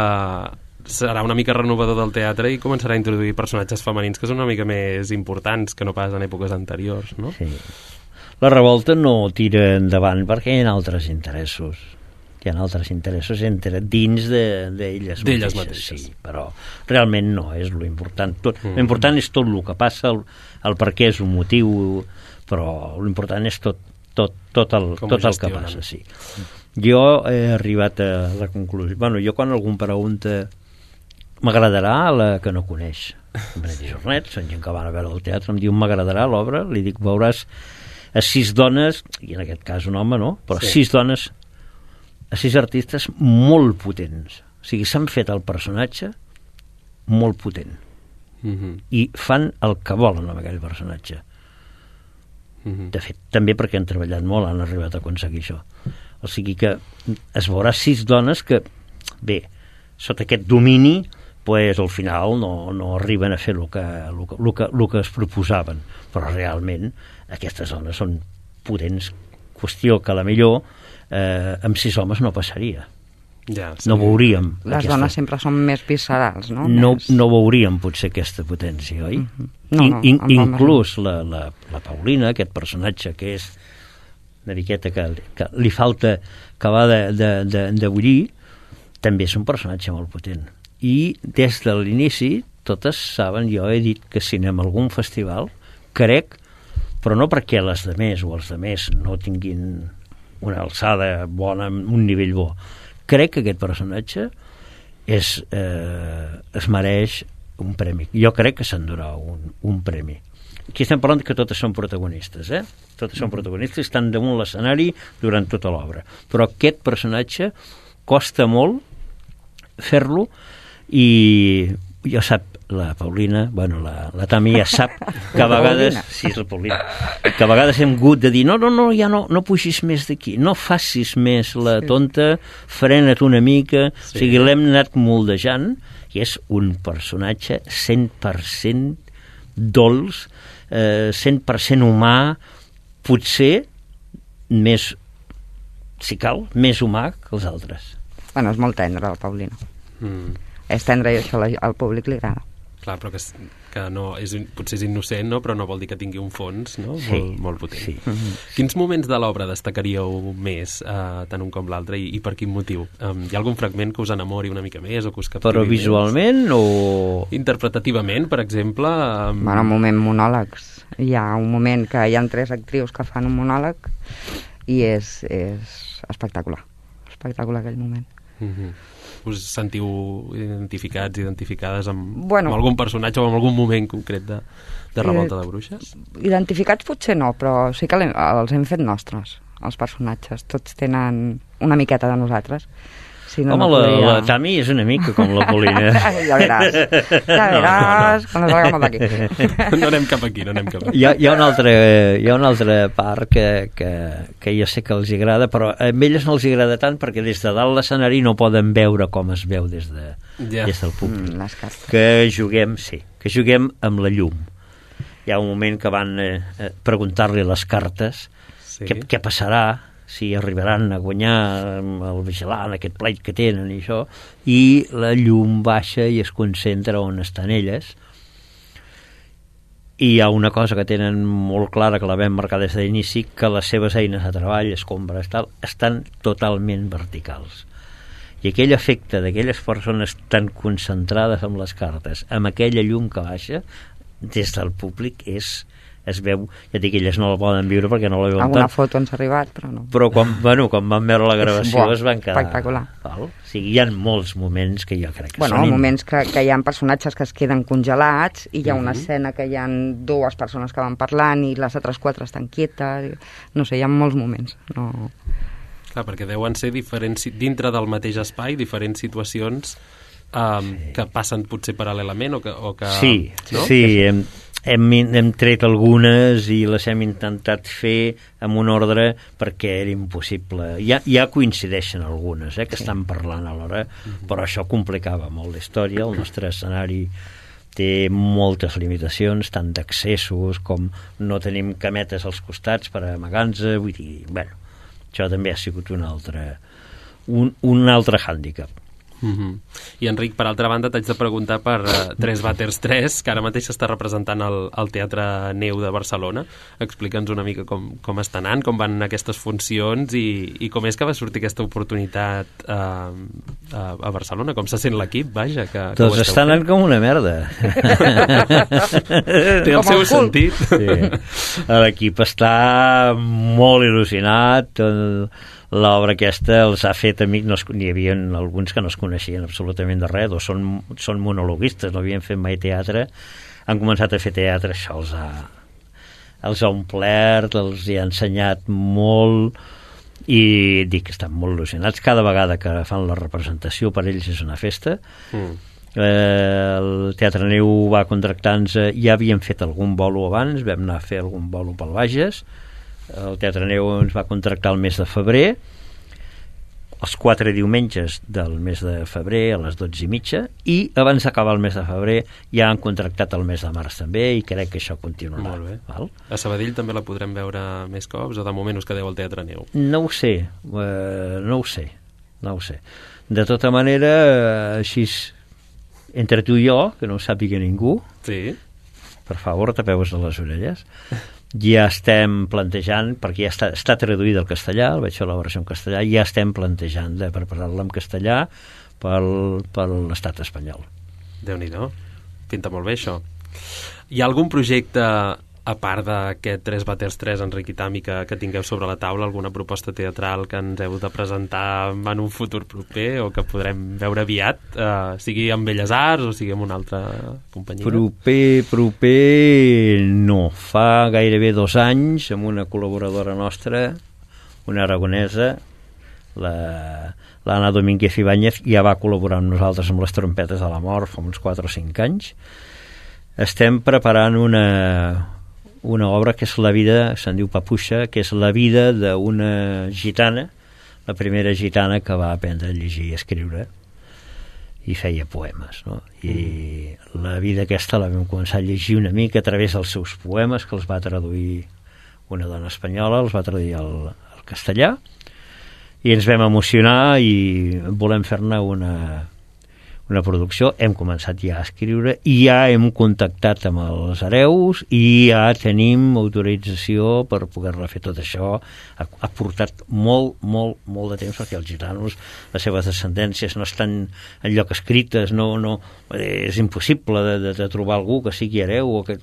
serà una mica renovador del teatre i començarà a introduir personatges femenins que són una mica més importants que no pas en èpoques anteriors, no? Sí. La revolta no tira endavant perquè hi ha altres interessos. Hi ha altres interessos entre dins d'elles de, mateixes. D'elles mateixes. Sí, però realment no és lo important. Tot, mm. Lo important és tot el que passa, el, el per què és un motiu, però lo important és tot, tot, tot, el, tot el que passa. Sí. Jo he arribat a la conclusió... Bueno, jo quan algú em pregunta m'agradarà la que no coneix Benet i Jornet, són gent que van a veure el teatre, em diu m'agradarà l'obra, li dic veuràs a sis dones, i en aquest cas un home, no? Però sí. sis dones, a sis artistes molt potents, o sigui, s'han fet el personatge molt potent mm-hmm. i fan el que volen amb aquell personatge. Mm-hmm. De fet, també perquè han treballat molt, han arribat a aconseguir això. O sigui que es veurà sis dones que, bé, sota aquest domini, pues, al final no, no arriben a fer el que, el que, el que, el que es proposaven, però realment aquestes dones són potents, qüestió que a la millor eh, amb sis homes no passaria. Ja, sí. No veuríem les aquesta... dones sempre són més viscerals, no? no més... no veuríem potser aquesta potència, oi? Mm-hmm. no, no, in, in, inclús la, la, la Paulina, aquest personatge que és una miqueta que, que li falta acabar de, de, de, de bullir, també és un personatge molt potent. I des de l'inici, totes saben, jo he dit que si anem a algun festival, crec, però no perquè les de més o els de més no tinguin una alçada bona, un nivell bo. Crec que aquest personatge és, eh, es mereix un premi. Jo crec que s'endurà un, un premi. Aquí estem parlant que totes són protagonistes, eh? Totes són protagonistes, estan damunt l'escenari durant tota l'obra. Però aquest personatge costa molt fer-lo i jo sap, la Paulina, bueno, la, la Tami ja sap que a vegades sí, és la Paulina, que a vegades hem hagut de dir no, no, no, ja no, no pugis més d'aquí, no facis més la tonta, frena't una mica, sí. O sigui, l'hem anat moldejant i és un personatge cent per cent dolç, eh, cent per cent humà, potser més, si cal, més humà que els altres. Bueno, és molt tendre, la Paulina. Mm. És tendre i això al públic li agrada. Clar, però que, que no, és, potser és innocent, no? Però no vol dir que tingui un fons, no? Sí. Molt, molt potent. Sí. Mm-hmm. Quins moments de l'obra destacaríeu més, eh, tant un com l'altre, i, i per quin motiu? Um, hi ha algun fragment que us enamori una mica més o que us captivi Però visualment més? O... Interpretativament, per exemple? Um... Bueno, un moment monòlegs. Hi ha un moment que hi ha tres actrius que fan un monòleg i és, és espectacular. Espectacular aquell moment. Mm-hmm. Us sentiu identificats, identificades amb, bueno, amb algun personatge o amb algun moment concret de, de Revolta de Bruixes? Identificats potser no, però sí que els hem fet nostres, els personatges. Tots tenen una miqueta de nosaltres. Si no, Home, no la, podria... la Tami és una mica com la Paulina. ja veràs, ja veràs, quan es va d'aquí. No anem cap aquí, no anem cap aquí. Hi ha, hi ha, una, altra, hi ha una altra part que, que, que jo sé que els agrada, però a elles no els agrada tant perquè des de dalt l'escenari no poden veure com es veu des, de, ja. des del públic. Mm, les cartes. Que juguem, sí, que juguem amb la llum. Hi ha un moment que van eh, preguntar-li les cartes sí. què, què passarà, si arribaran a guanyar el vigilant, aquest pleit que tenen i això, i la llum baixa i es concentra on estan elles. I hi ha una cosa que tenen molt clara, que la vam marcar des de l'inici, que les seves eines de treball, escombres, tal, estan totalment verticals. I aquell efecte d'aquelles persones tan concentrades amb les cartes, amb aquella llum que baixa, des del públic és, es veu, ja dic, elles no la poden viure perquè no la veuen Alguna tant. foto ens ha arribat, però no. Però quan, bueno, quan van veure la gravació Buah, es van quedar... espectacular. Val? O sigui, hi ha molts moments que jo crec que Bueno, són... moments que, que hi ha personatges que es queden congelats i hi ha una Mhm. escena que hi ha dues persones que van parlant i les altres quatre estan quietes. No sé, hi ha molts moments. No... Clar, perquè deuen ser diferents, dintre del mateix espai, diferents situacions um, sí. que passen potser paral·lelament o que... O que Sí, no? sí, hem, hem, hem tret algunes i les hem intentat fer amb un ordre perquè era impossible. Ja, ja coincideixen algunes, eh, que sí. estan parlant alhora, uh-huh. però això complicava molt la història. El nostre escenari té moltes limitacions, tant d'accessos com no tenim cametes als costats per amagar-nos, vull dir, bueno, això també ha sigut un altre, un, un altre hàndicap. Mm-hmm. I Enric, per altra banda, t'haig de preguntar per uh, Tres Vàters tres, que ara mateix s'està representant al, al Teatre Neu de Barcelona. Explica'ns una mica com, com està anant, com van aquestes funcions i, i com és que va sortir aquesta oportunitat uh, a, a Barcelona, com se sent l'equip, vaja, que, que doncs està anant com una merda. Té el seu sentit. Sí. L'equip està molt il·lusionat, el, l'obra aquesta els ha fet amics, no es, n'hi havia alguns que no es coneixien absolutament de res, o són, són monologuistes, no havien fet mai teatre, han començat a fer teatre, això els ha, els ha omplert, els hi ha ensenyat molt, i dic que estan molt il·lusionats. Cada vegada que fan la representació per ells és una festa. Mm. Eh, el Teatre Neu va contractar-nos, ja havíem fet algun bolo abans, vam anar a fer algun bolo pel Bages. El Teatre Neu ens va contractar el mes de febrer, els quatre diumenges del mes de febrer a les dotze i mitja, i abans d'acabar el mes de febrer ja han contractat el mes de març també, i crec que això continuarà. Molt bé. Val? A Sabadell també la podrem veure més cops, o de moment us quedeu al Teatre Neu? No ho sé, eh, no ho sé, no ho sé. De tota manera, eh, així, entre tu i jo, que no ho sàpiga ningú, sí. Per favor, tapeu-vos de les orelles. Ja estem plantejant, perquè ja està, està traduïda al castellà, el vaig fer la versió en castellà, ja estem plantejant de preparar-la en castellà pel, per l'estat espanyol. Déu-n'hi-do, pinta molt bé això. Hi ha algun projecte, a part d'aquest Tres Vàters tres, Enric i Tami, que, que tingueu sobre la taula, alguna proposta teatral que ens heu de presentar en un futur proper o que podrem veure aviat, eh, sigui amb Belles Arts o sigui amb una altra companyia? Proper, proper no. Fa gairebé dos anys, amb una col·laboradora nostra, una aragonesa, la, l'Anna Domínguez Ibáñez, ja va col·laborar amb nosaltres amb les trompetes de la mort fa uns quatre o cinc anys. Estem preparant una una obra que és la vida, se'n diu Papuixa, que és la vida d'una gitana, la primera gitana que va aprendre a llegir i escriure i feia poemes, no? I mm. la vida aquesta la vam començar a llegir una mica a través dels seus poemes, que els va traduir una dona espanyola, els va traduir al, al castellà, i ens vam emocionar i volem fer-ne una una producció. Hem començat ja a escriure i ja hem contactat amb els hereus i ja tenim autorització per poder-la fer. Tot això ha, ha portat molt, molt, molt de temps, perquè els gitanos, les seves descendències no estan enlloc escrites, no, no, és impossible de, de, de trobar algú que sigui hereu, o que,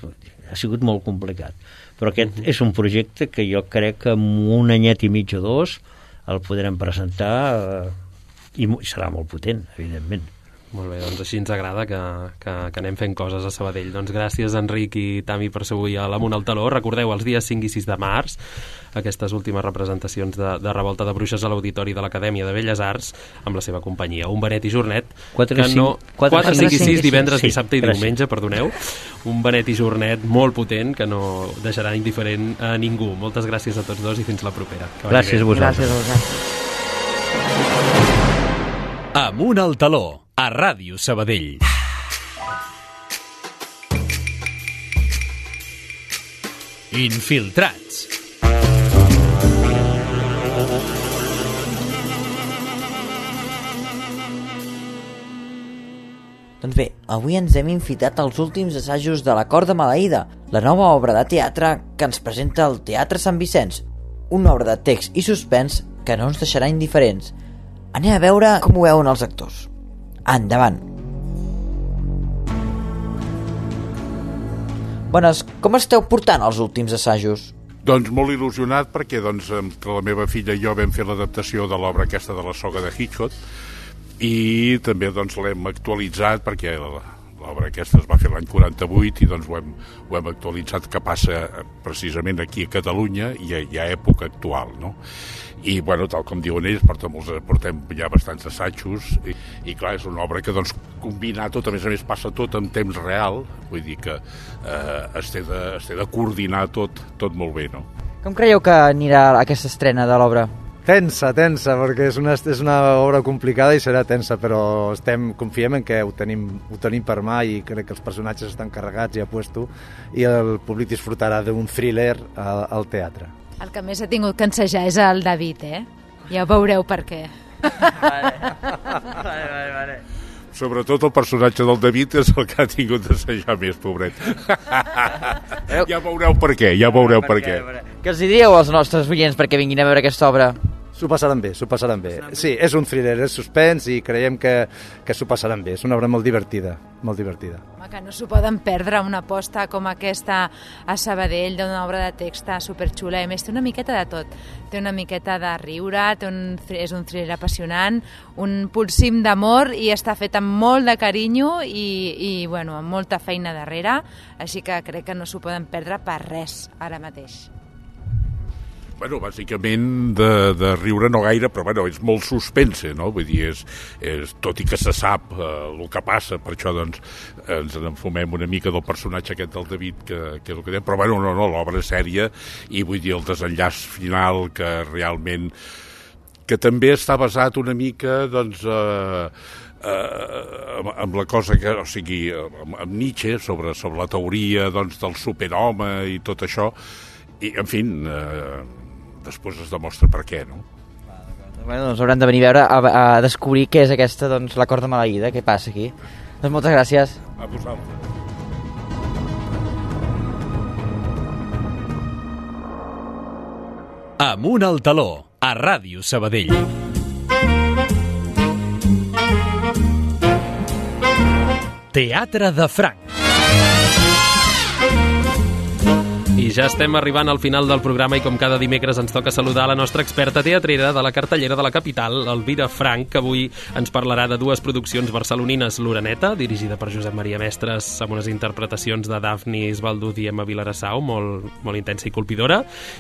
ha sigut molt complicat. Però aquest és un projecte que jo crec que en un anyet i mig o dos el podrem presentar eh, i serà molt potent, evidentment. Molt bé, doncs així ens agrada que, que, que anem fent coses a Sabadell. Doncs gràcies, Enric i Tami, per ser avui a l'Amunt al Taló. Recordeu, els dies cinc i sis de març, aquestes últimes representacions de, de Revolta de Bruixes a l'Auditori de l'Acadèmia de Belles Arts, amb la seva companyia, Un Benet i Jornet, quatre, que no... quatre, cinc i sis, divendres, sí, dissabte i gràcies. diumenge, perdoneu. Un Benet i Jornet molt potent, que no deixarà indiferent a ningú. Moltes gràcies a tots dos i fins la propera. Gràcies a vosaltres. Gràcies a vosaltres. Amunt al Taló, a Ràdio Sabadell. Infiltrats. Doncs bé, avui ens hem infiltrat als últims assajos de La Corda Maleïda, la nova obra de teatre que ens presenta el Teatre Sant Vicenç, una obra de text i suspens que no ens deixarà indiferents. Anem a veure com ho veuen els actors. Endavant! Bones, com esteu portant els últims assajos? Doncs molt il·lusionat perquè doncs, entre la meva filla i jo vam fer l'adaptació de l'obra aquesta de la soga de Hitchcock i també doncs, l'hem actualitzat perquè l'obra aquesta es va fer l'any quaranta-vuit i doncs, ho, hem, ho hem actualitzat que passa precisament aquí a Catalunya i a, i a època actual, no? I, bueno, tal com diuen ells, portem, portem ja bastants assajos i, i clar, és una obra que doncs combina tot, a més a més passa tot en temps real, vull dir que eh, es, té de, es té de coordinar tot, tot molt bé, no? Com creieu que anirà aquesta estrena de l'obra? Tensa, tensa, perquè és una, és una obra complicada i serà tensa, però estem, confiem en que ho tenim, ho tenim per mà i crec que els personatges estan carregats i a puesto i el públic disfrutarà d'un thriller al, al teatre. El que més ha tingut que ensejar és el David, eh? Ja veureu per què. Vale, vale, vale, vale. Sobretot el personatge del David és el que ha tingut d'assajar més, pobret. Ja veureu per què, ja veureu per, per què. què. Què els diríeu als nostres oients perquè vinguin a veure aquesta obra? S'ho passaran bé, s'ho passaran bé. Sí, és un thriller, és suspens i creiem que, que s'ho passaran bé. És una obra molt divertida, molt divertida. Home, que no s'ho poden perdre, una aposta com aquesta a Sabadell d'una obra de text superxula. A més, té una miqueta de tot. Té una miqueta de riure, té un, és un thriller apassionant, un pulsim d'amor i està fet amb molt de carinyo i, i bueno, amb molta feina darrere. Així que crec que no s'ho poden perdre per res ara mateix. Bueno, bàsicament de, de riure no gaire, però bueno, és molt suspense, no? Vull dir, és, és, tot i que se sap eh, el que passa, per això doncs ens enfumem una mica del personatge aquest del David, que, que és el que dèiem, però bueno, no, no, l'obra és sèria i vull dir el desenllaç final que realment que també està basat una mica doncs eh, eh, amb, amb la cosa que, o sigui, amb, amb Nietzsche sobre, sobre la teoria doncs, del superhome i tot això i en fi eh, després es demostra per què, no? Bueno, doncs hauran de venir a veure a, a descobrir què és aquesta, doncs, la corda maleïda, què passa aquí. Doncs moltes gràcies. A vosaltres. Amunt al taló, a Ràdio Sabadell. Teatre de Franc. I ja estem arribant al final del programa i com cada dimecres ens toca saludar la nostra experta teatrera de la cartellera de la capital, Elvira Franch, que avui ens parlarà de dues produccions barcelonines, L'Oreneta, dirigida per Josep Maria Mestres, amb unes interpretacions de Dafnis Baldud i Emma Vilarassau, molt, molt intensa i colpidora,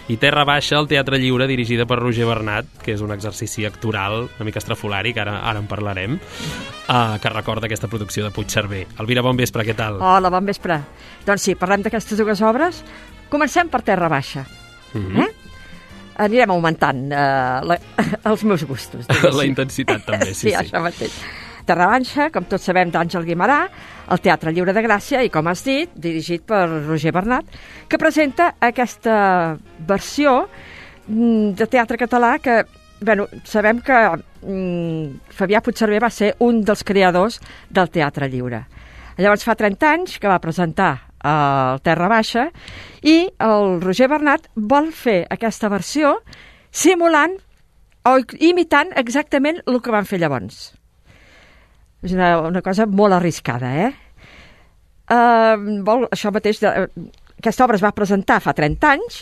i Terra Baixa, al Teatre Lliure, dirigida per Roger Bernat, que és un exercici actoral una mica estrafolari, que ara, ara en parlarem, uh, que recorda aquesta producció de Puigcerver. Elvira, bon vespre, què tal? Hola, bon vespre. Doncs sí, parlem d'aquestes dues obres. Comencem per Terra Baixa. Mm-hmm. eh? Anirem augmentant uh, la, els meus gustos. La intensitat també, sí, sí. Sí, això mateix. Terra Baixa, com tots sabem, d'Àngel Guimerà, al Teatre Lliure de Gràcia, i com has dit, dirigit per Roger Bernat, que presenta aquesta versió de teatre català que, bueno, sabem que mm, Fabià Puigcerver va ser un dels creadors del Teatre Lliure. Llavors fa trenta anys que va presentar al Terra Baixa i el Roger Bernat vol fer aquesta versió simulant o imitant exactament el que van fer llavors. És una, una cosa molt arriscada, eh? Uh, vol, això mateix, de, aquesta obra es va presentar fa trenta anys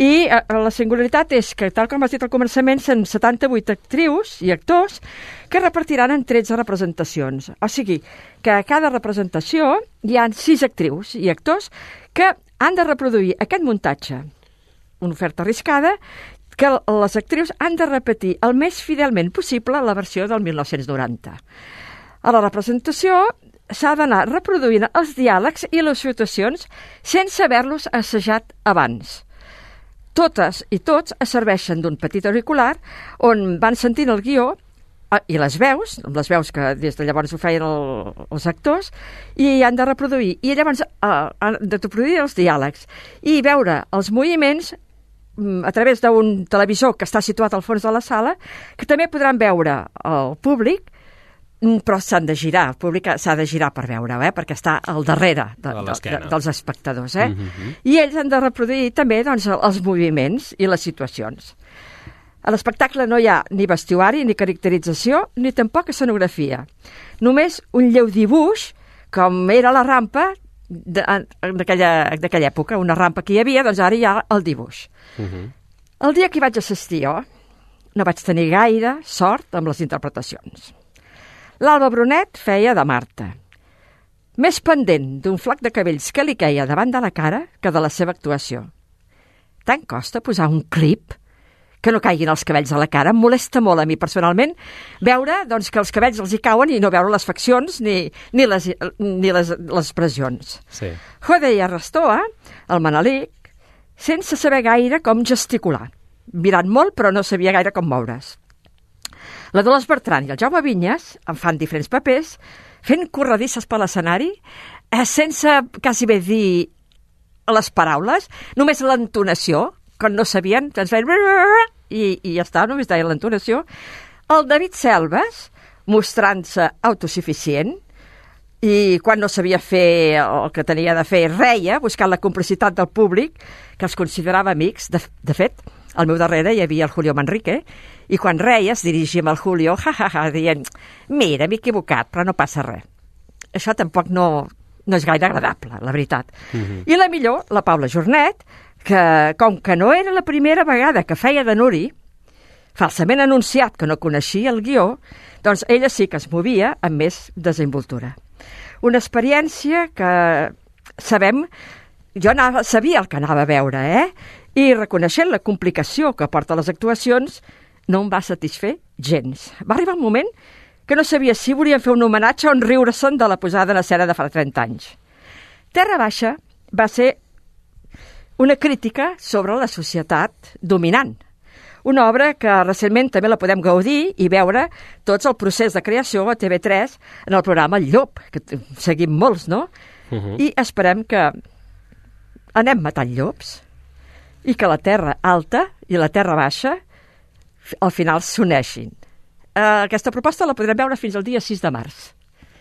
i uh, la singularitat és que, tal com has dit al començament, són setanta-vuit actrius i actors que repartiran en tretze representacions. O sigui, que a cada representació hi ha sis actrius i actors que han de reproduir aquest muntatge, una oferta arriscada, que les actrius han de repetir el més fidelment possible la versió del mil nou-cents noranta. A la representació s'ha d'anar reproduint els diàlegs i les situacions sense haver-los assajat abans. Totes i tots es serveixen d'un petit auricular on van sentint el guió i les veus, les veus que des de llavors ho feien el, els actors, i han de reproduir. I llavors eh, han de reproduir els diàlegs i veure els moviments a través d'un televisor que està situat al fons de la sala, que també podran veure el públic, però s'han de girar, el públic s'ha de girar per veure-ho, eh? Perquè està al darrere de, de, de, dels espectadors. Eh? Mm-hmm. I ells han de reproduir també doncs, els moviments i les situacions. A l'espectacle no hi ha ni vestuari, ni caracterització, ni tampoc escenografia. Només un lleu dibuix, com era la rampa, d'aquella època, una rampa que hi havia, doncs ara hi ha el dibuix. Uh-huh. El dia que hi vaig assistir jo, no vaig tenir gaire sort amb les interpretacions. L'Alba Brunet feia de Marta, més pendent d'un flac de cabells que li queia davant de la cara que de la seva actuació. Tant costa posar un clip que no caiguin els cabells a la cara. Em molesta molt a mi personalment veure doncs, que els cabells els hi cauen i no veure les faccions ni, ni, les, ni les, les expressions. Sí. Jode i Arrastoa, el Manelic, sense saber gaire com gesticular. Mirant molt, però no sabia gaire com moure's. La Dolors Bertran i el Jaume Vinyes en fan diferents papers, fent corredisses per l'escenari, eh, sense quasi bé dir les paraules, només l'entonació, quan no sabien, ens feien i, i ja està, només deia l'entonació. El David Selves, mostrant-se autosuficient, i quan no sabia fer el que tenia de fer, reia, buscant la complicitat del públic, que els considerava amics. De, de fet, al meu darrere hi havia el Julio Manrique, i quan reia es dirigia amb el Julio, ja, ja, ja, dient, mira, m'he equivocat, però no passa res. Això tampoc no, no és gaire agradable, la veritat. Uh-huh. I la millor, la Paula Jornet, que, com que no era la primera vegada que feia de Nuri, falsament anunciat que no coneixia el guió, doncs ella sí que es movia amb més desenvoltura. Una experiència que sabem, jo anava, sabia el que anava a veure, eh? I reconeixent la complicació que porta les actuacions, no em va satisfer gens. Va arribar un moment que no sabia si volien fer un homenatge o en riure-se'n de la posada en escena de fa trenta anys. Terra Baixa va ser una crítica sobre la societat dominant. Una obra que recentment també la podem gaudir i veure tots el procés de creació a T V tres en el programa El Llop, que seguim molts, no? Uh-huh. I esperem que anem matant llops i que la terra alta i la terra baixa al final s'uneixin. Uh, aquesta proposta la podrem veure fins al dia sis de març.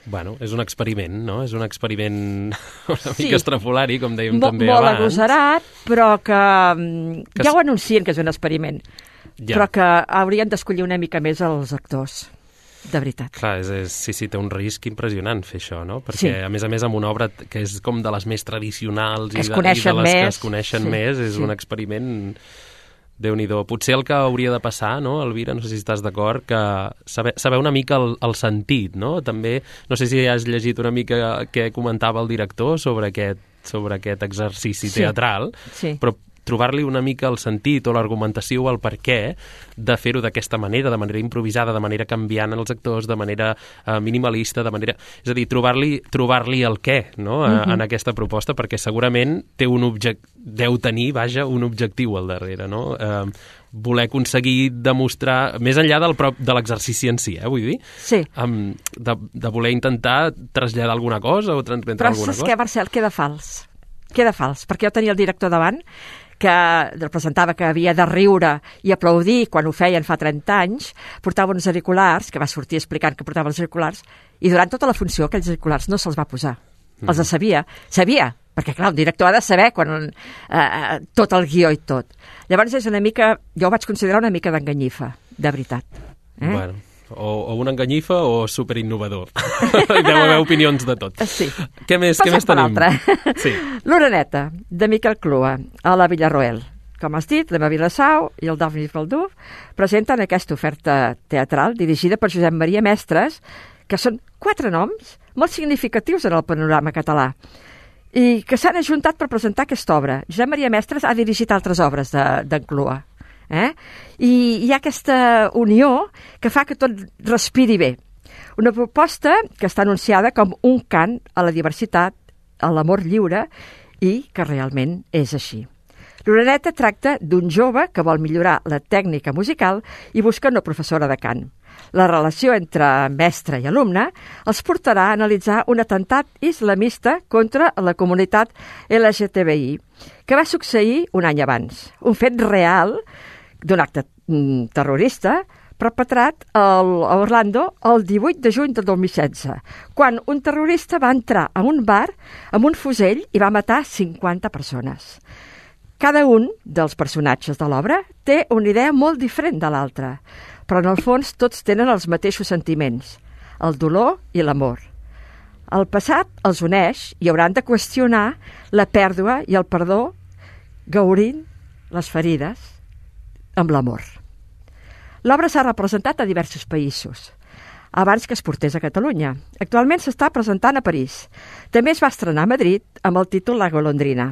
Bueno, és un experiment, no? És un experiment una sí. mica estrafolari, com dèiem Mo, també molt abans. Molt agosarat, però que, que ja ho anuncien que és un experiment. Ja. Però que haurien d'escollir una mica més els actors, de veritat. Clar, és, és, sí, sí, té un risc impressionant fer això, no? Perquè, sí. a més a més, amb una obra que és com de les més tradicionals que i, es de, i de les més. que es coneixen sí. més, és sí. un experiment... Déu-n'hi-do. Potser el que hauria de passar, no, Elvira, no sé si estàs d'acord, que saber, saber una mica el, el sentit, no? També, no sé si has llegit una mica què comentava el director sobre aquest, sobre aquest exercici sí. teatral, sí. però trobar-li una mica el sentit o l'argumentació o el per què de fer-ho d'aquesta manera, de manera improvisada, de manera canviant els actors, de manera uh, minimalista, de manera... És a dir, trobar-li trobar-li el què, no?, a, uh-huh. en aquesta proposta, perquè segurament té un object... deu tenir, vaja, un objectiu al darrere, no? Uh, voler aconseguir demostrar, més enllà del prop, de l'exercici en si, eh, vull dir? Sí. Um, de, de voler intentar traslladar alguna cosa o transmetre Però alguna cosa. cosa. Però saps què, Marcel? Queda fals. Queda fals, perquè jo tenia el director davant que representava que havia de riure i aplaudir quan ho feien fa trenta anys, portava uns auriculars, que va sortir explicant que portava els auriculars, i durant tota la funció aquells auriculars no se'ls va posar. Mm. Els sabia. Sabia, perquè clar, un director ha de saber quan, eh, tot el guió i tot. Llavors és una mica, jo ho vaig considerar una mica d'enganyifa, de veritat. Eh? Bueno, o, o una enganyifa o superinnovador. Deu haver opinions de tot. Sí. Què més, què més tenim? Sí. L'Oreneta, de Miquel Clua, a la Villarroel. Com has dit, l'Emma Vilassau i el Daphne Falduf presenten aquesta oferta teatral dirigida per Josep Maria Mestres, que són quatre noms molt significatius en el panorama català i que s'han ajuntat per presentar aquesta obra. Josep Maria Mestres ha dirigit altres obres d'en de, Clua. Eh? I hi ha aquesta unió que fa que tot respiri bé. Una proposta que està anunciada com un cant a la diversitat, a l'amor lliure, i que realment és així. L'Oreneta tracta d'un jove que vol millorar la tècnica musical i busca una professora de cant. La relació entre mestre i alumne els portarà a analitzar un atemptat islamista contra la comunitat L G T B I, que va succeir un any abans. Un fet real d'un acte mm, terrorista perpetrat al, a Orlando el divuit de juny del dos mil setze, quan un terrorista va entrar a un bar amb un fusell i va matar cinquanta persones. Cada un dels personatges de l'obra té una idea molt diferent de l'altra, però en el fons tots tenen els mateixos sentiments, el dolor i l'amor. El passat els uneix i hauran de qüestionar la pèrdua i el perdó, gaudint les ferides amb l'amor. L'obra s'ha representat a diversos països, abans que es portés a Catalunya. Actualment s'està presentant a París. També es va estrenar a Madrid amb el títol La golondrina.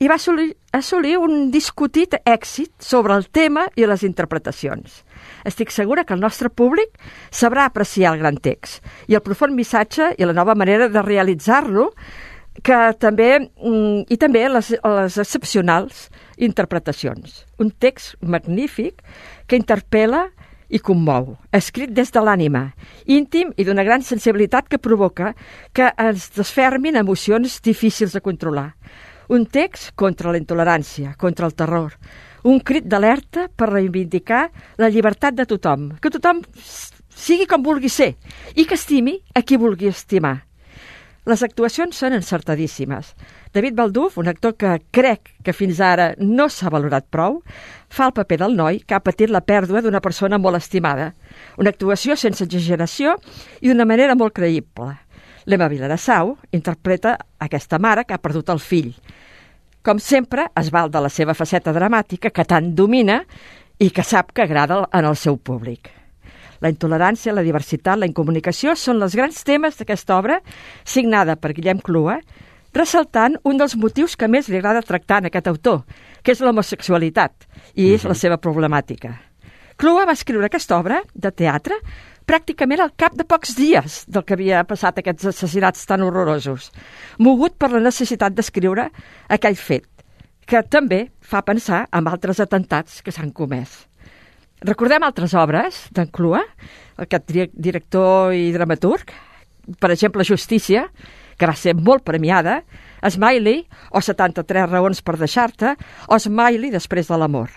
I va assolir, assolir un discutit èxit sobre el tema i les interpretacions. Estic segura que el nostre públic sabrà apreciar el gran text i el profund missatge i la nova manera de realitzar-lo, que també, i també les, les excepcionals interpretacions. Un text magnífic que interpel·la i commou, escrit des de l'ànima, íntim i d'una gran sensibilitat que provoca que ens desfermin emocions difícils de controlar. Un text contra la intolerància, contra el terror, un crit d'alerta per reivindicar la llibertat de tothom, que tothom sigui com vulgui ser i que estimi a qui vulgui estimar. Les actuacions són encertadíssimes. David Balduf, un actor que crec que fins ara no s'ha valorat prou, fa el paper del noi que ha patit la pèrdua d'una persona molt estimada. Una actuació sense exageració i d'una manera molt creïble. L'Emma Viladasau interpreta aquesta mare que ha perdut el fill. Com sempre, es val de la seva faceta dramàtica que tant domina i que sap que agrada en el seu públic. La intolerància, la diversitat, la incomunicació són els grans temes d'aquesta obra, signada per Guillem Clua, ressaltant un dels motius que més li agrada tractar en aquest autor, que és l'homosexualitat, i és la seva problemàtica. Clua va escriure aquesta obra de teatre pràcticament al cap de pocs dies del que havia passat aquests assassinats tan horrorosos, mogut per la necessitat d'escriure aquell fet, que també fa pensar en altres atentats que s'han comès. Recordem altres obres d'en Clua, aquest director i dramaturg, per exemple Justícia, que va ser molt premiada, Smiley, o setanta-tres raons per deixar-te, o Smiley després de l'amor.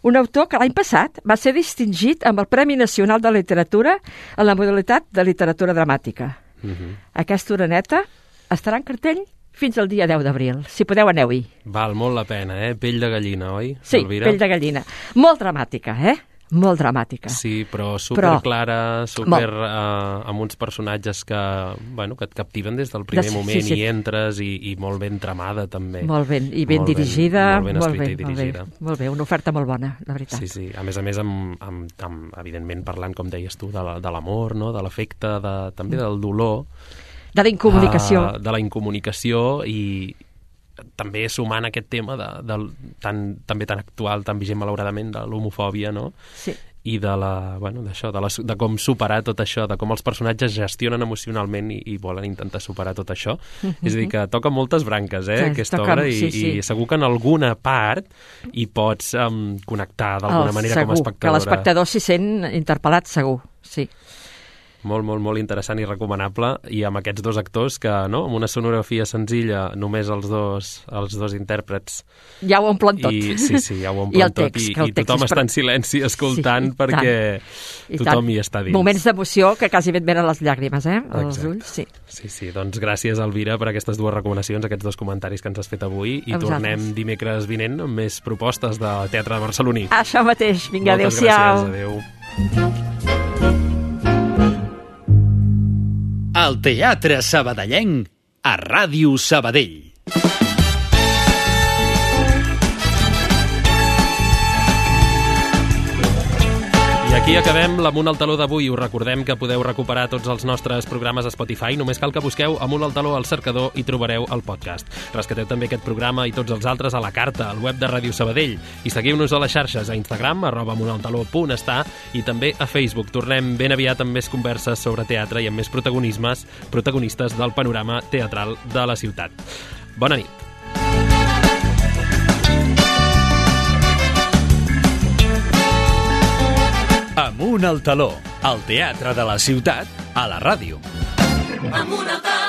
Un autor que l'any passat va ser distingit amb el Premi Nacional de Literatura en la modalitat de literatura dramàtica. Uh-huh. Aquesta oreneta estarà en cartell fins al dia deu d'abril. Si podeu, aneu-hi. Val molt la pena, eh? Pell de gallina, oi? Sí, Elvira? Pell de gallina. Molt dramàtica, eh? Molt dramàtica. Sí, però superclara, super uh, amb uns personatges que, bueno, que et captiven des del primer de, moment sí, sí. i entres i, i molt ben tramada també. Molt ben, i ben molt dirigida. Ben, molt ben escrita molt i dirigida. Molt bé, molt bé, una oferta molt bona, la veritat. Sí, sí, a més a més, amb, amb, amb, evidentment parlant, com deies tu, de, la, de l'amor, no? De l'afecte, de, també del dolor. De la incomunicació. Uh, de la incomunicació i també sumant aquest tema de, de, tan, també tan actual, tan vigent malauradament, de l'homofòbia, no? Sí. I de, la, bueno, d'això, de, la, de com superar tot això, de com els personatges gestionen emocionalment i, i volen intentar superar tot això. Mm-hmm. És a dir, que toca moltes branques, eh, sí, aquesta toca, obra, i, sí, sí. i segur que en alguna part hi pots um, connectar d'alguna oh, manera segur, com a espectadora. Que l'espectador s'hi sent interpel·lat, segur, sí. Molt, molt, molt interessant i recomanable, i amb aquests dos actors que, no?, amb una sonografia senzilla, només els dos, els dos intèrprets. Ja ho omplen tot. I, sí, sí, ja ho omplen tot, text, i, i tothom està en silenci escoltant sí, perquè tothom tant. Hi està dins. Moments d'emoció que quasi et venen les llàgrimes, eh?, als ulls, sí. Sí, sí, doncs gràcies, Elvira, per aquestes dues recomanacions, aquests dos comentaris que ens has fet avui, i a tornem vosaltres. Dimecres vinent amb més propostes de teatre de barceloní. Això mateix, vinga, adéu-siau. Moltes gràcies, adéu. El Teatre Sabadellenc a Ràdio Sabadell. I aquí acabem l'Amunt al Taló d'avui. Us recordem que podeu recuperar tots els nostres programes a Spotify. Només cal que busqueu Amunt al Taló al cercador i trobareu el podcast. Rescateu també aquest programa i tots els altres a la carta, al web de Ràdio Sabadell. I seguiu-nos a les xarxes, a Instagram, arroba amuntaltaló punt està, i també a Facebook. Tornem ben aviat amb més converses sobre teatre i amb més protagonismes, protagonistes del panorama teatral de la ciutat. Bona nit. Amunt al Taló, el teatre de la ciutat a la ràdio. Amunt al Taló.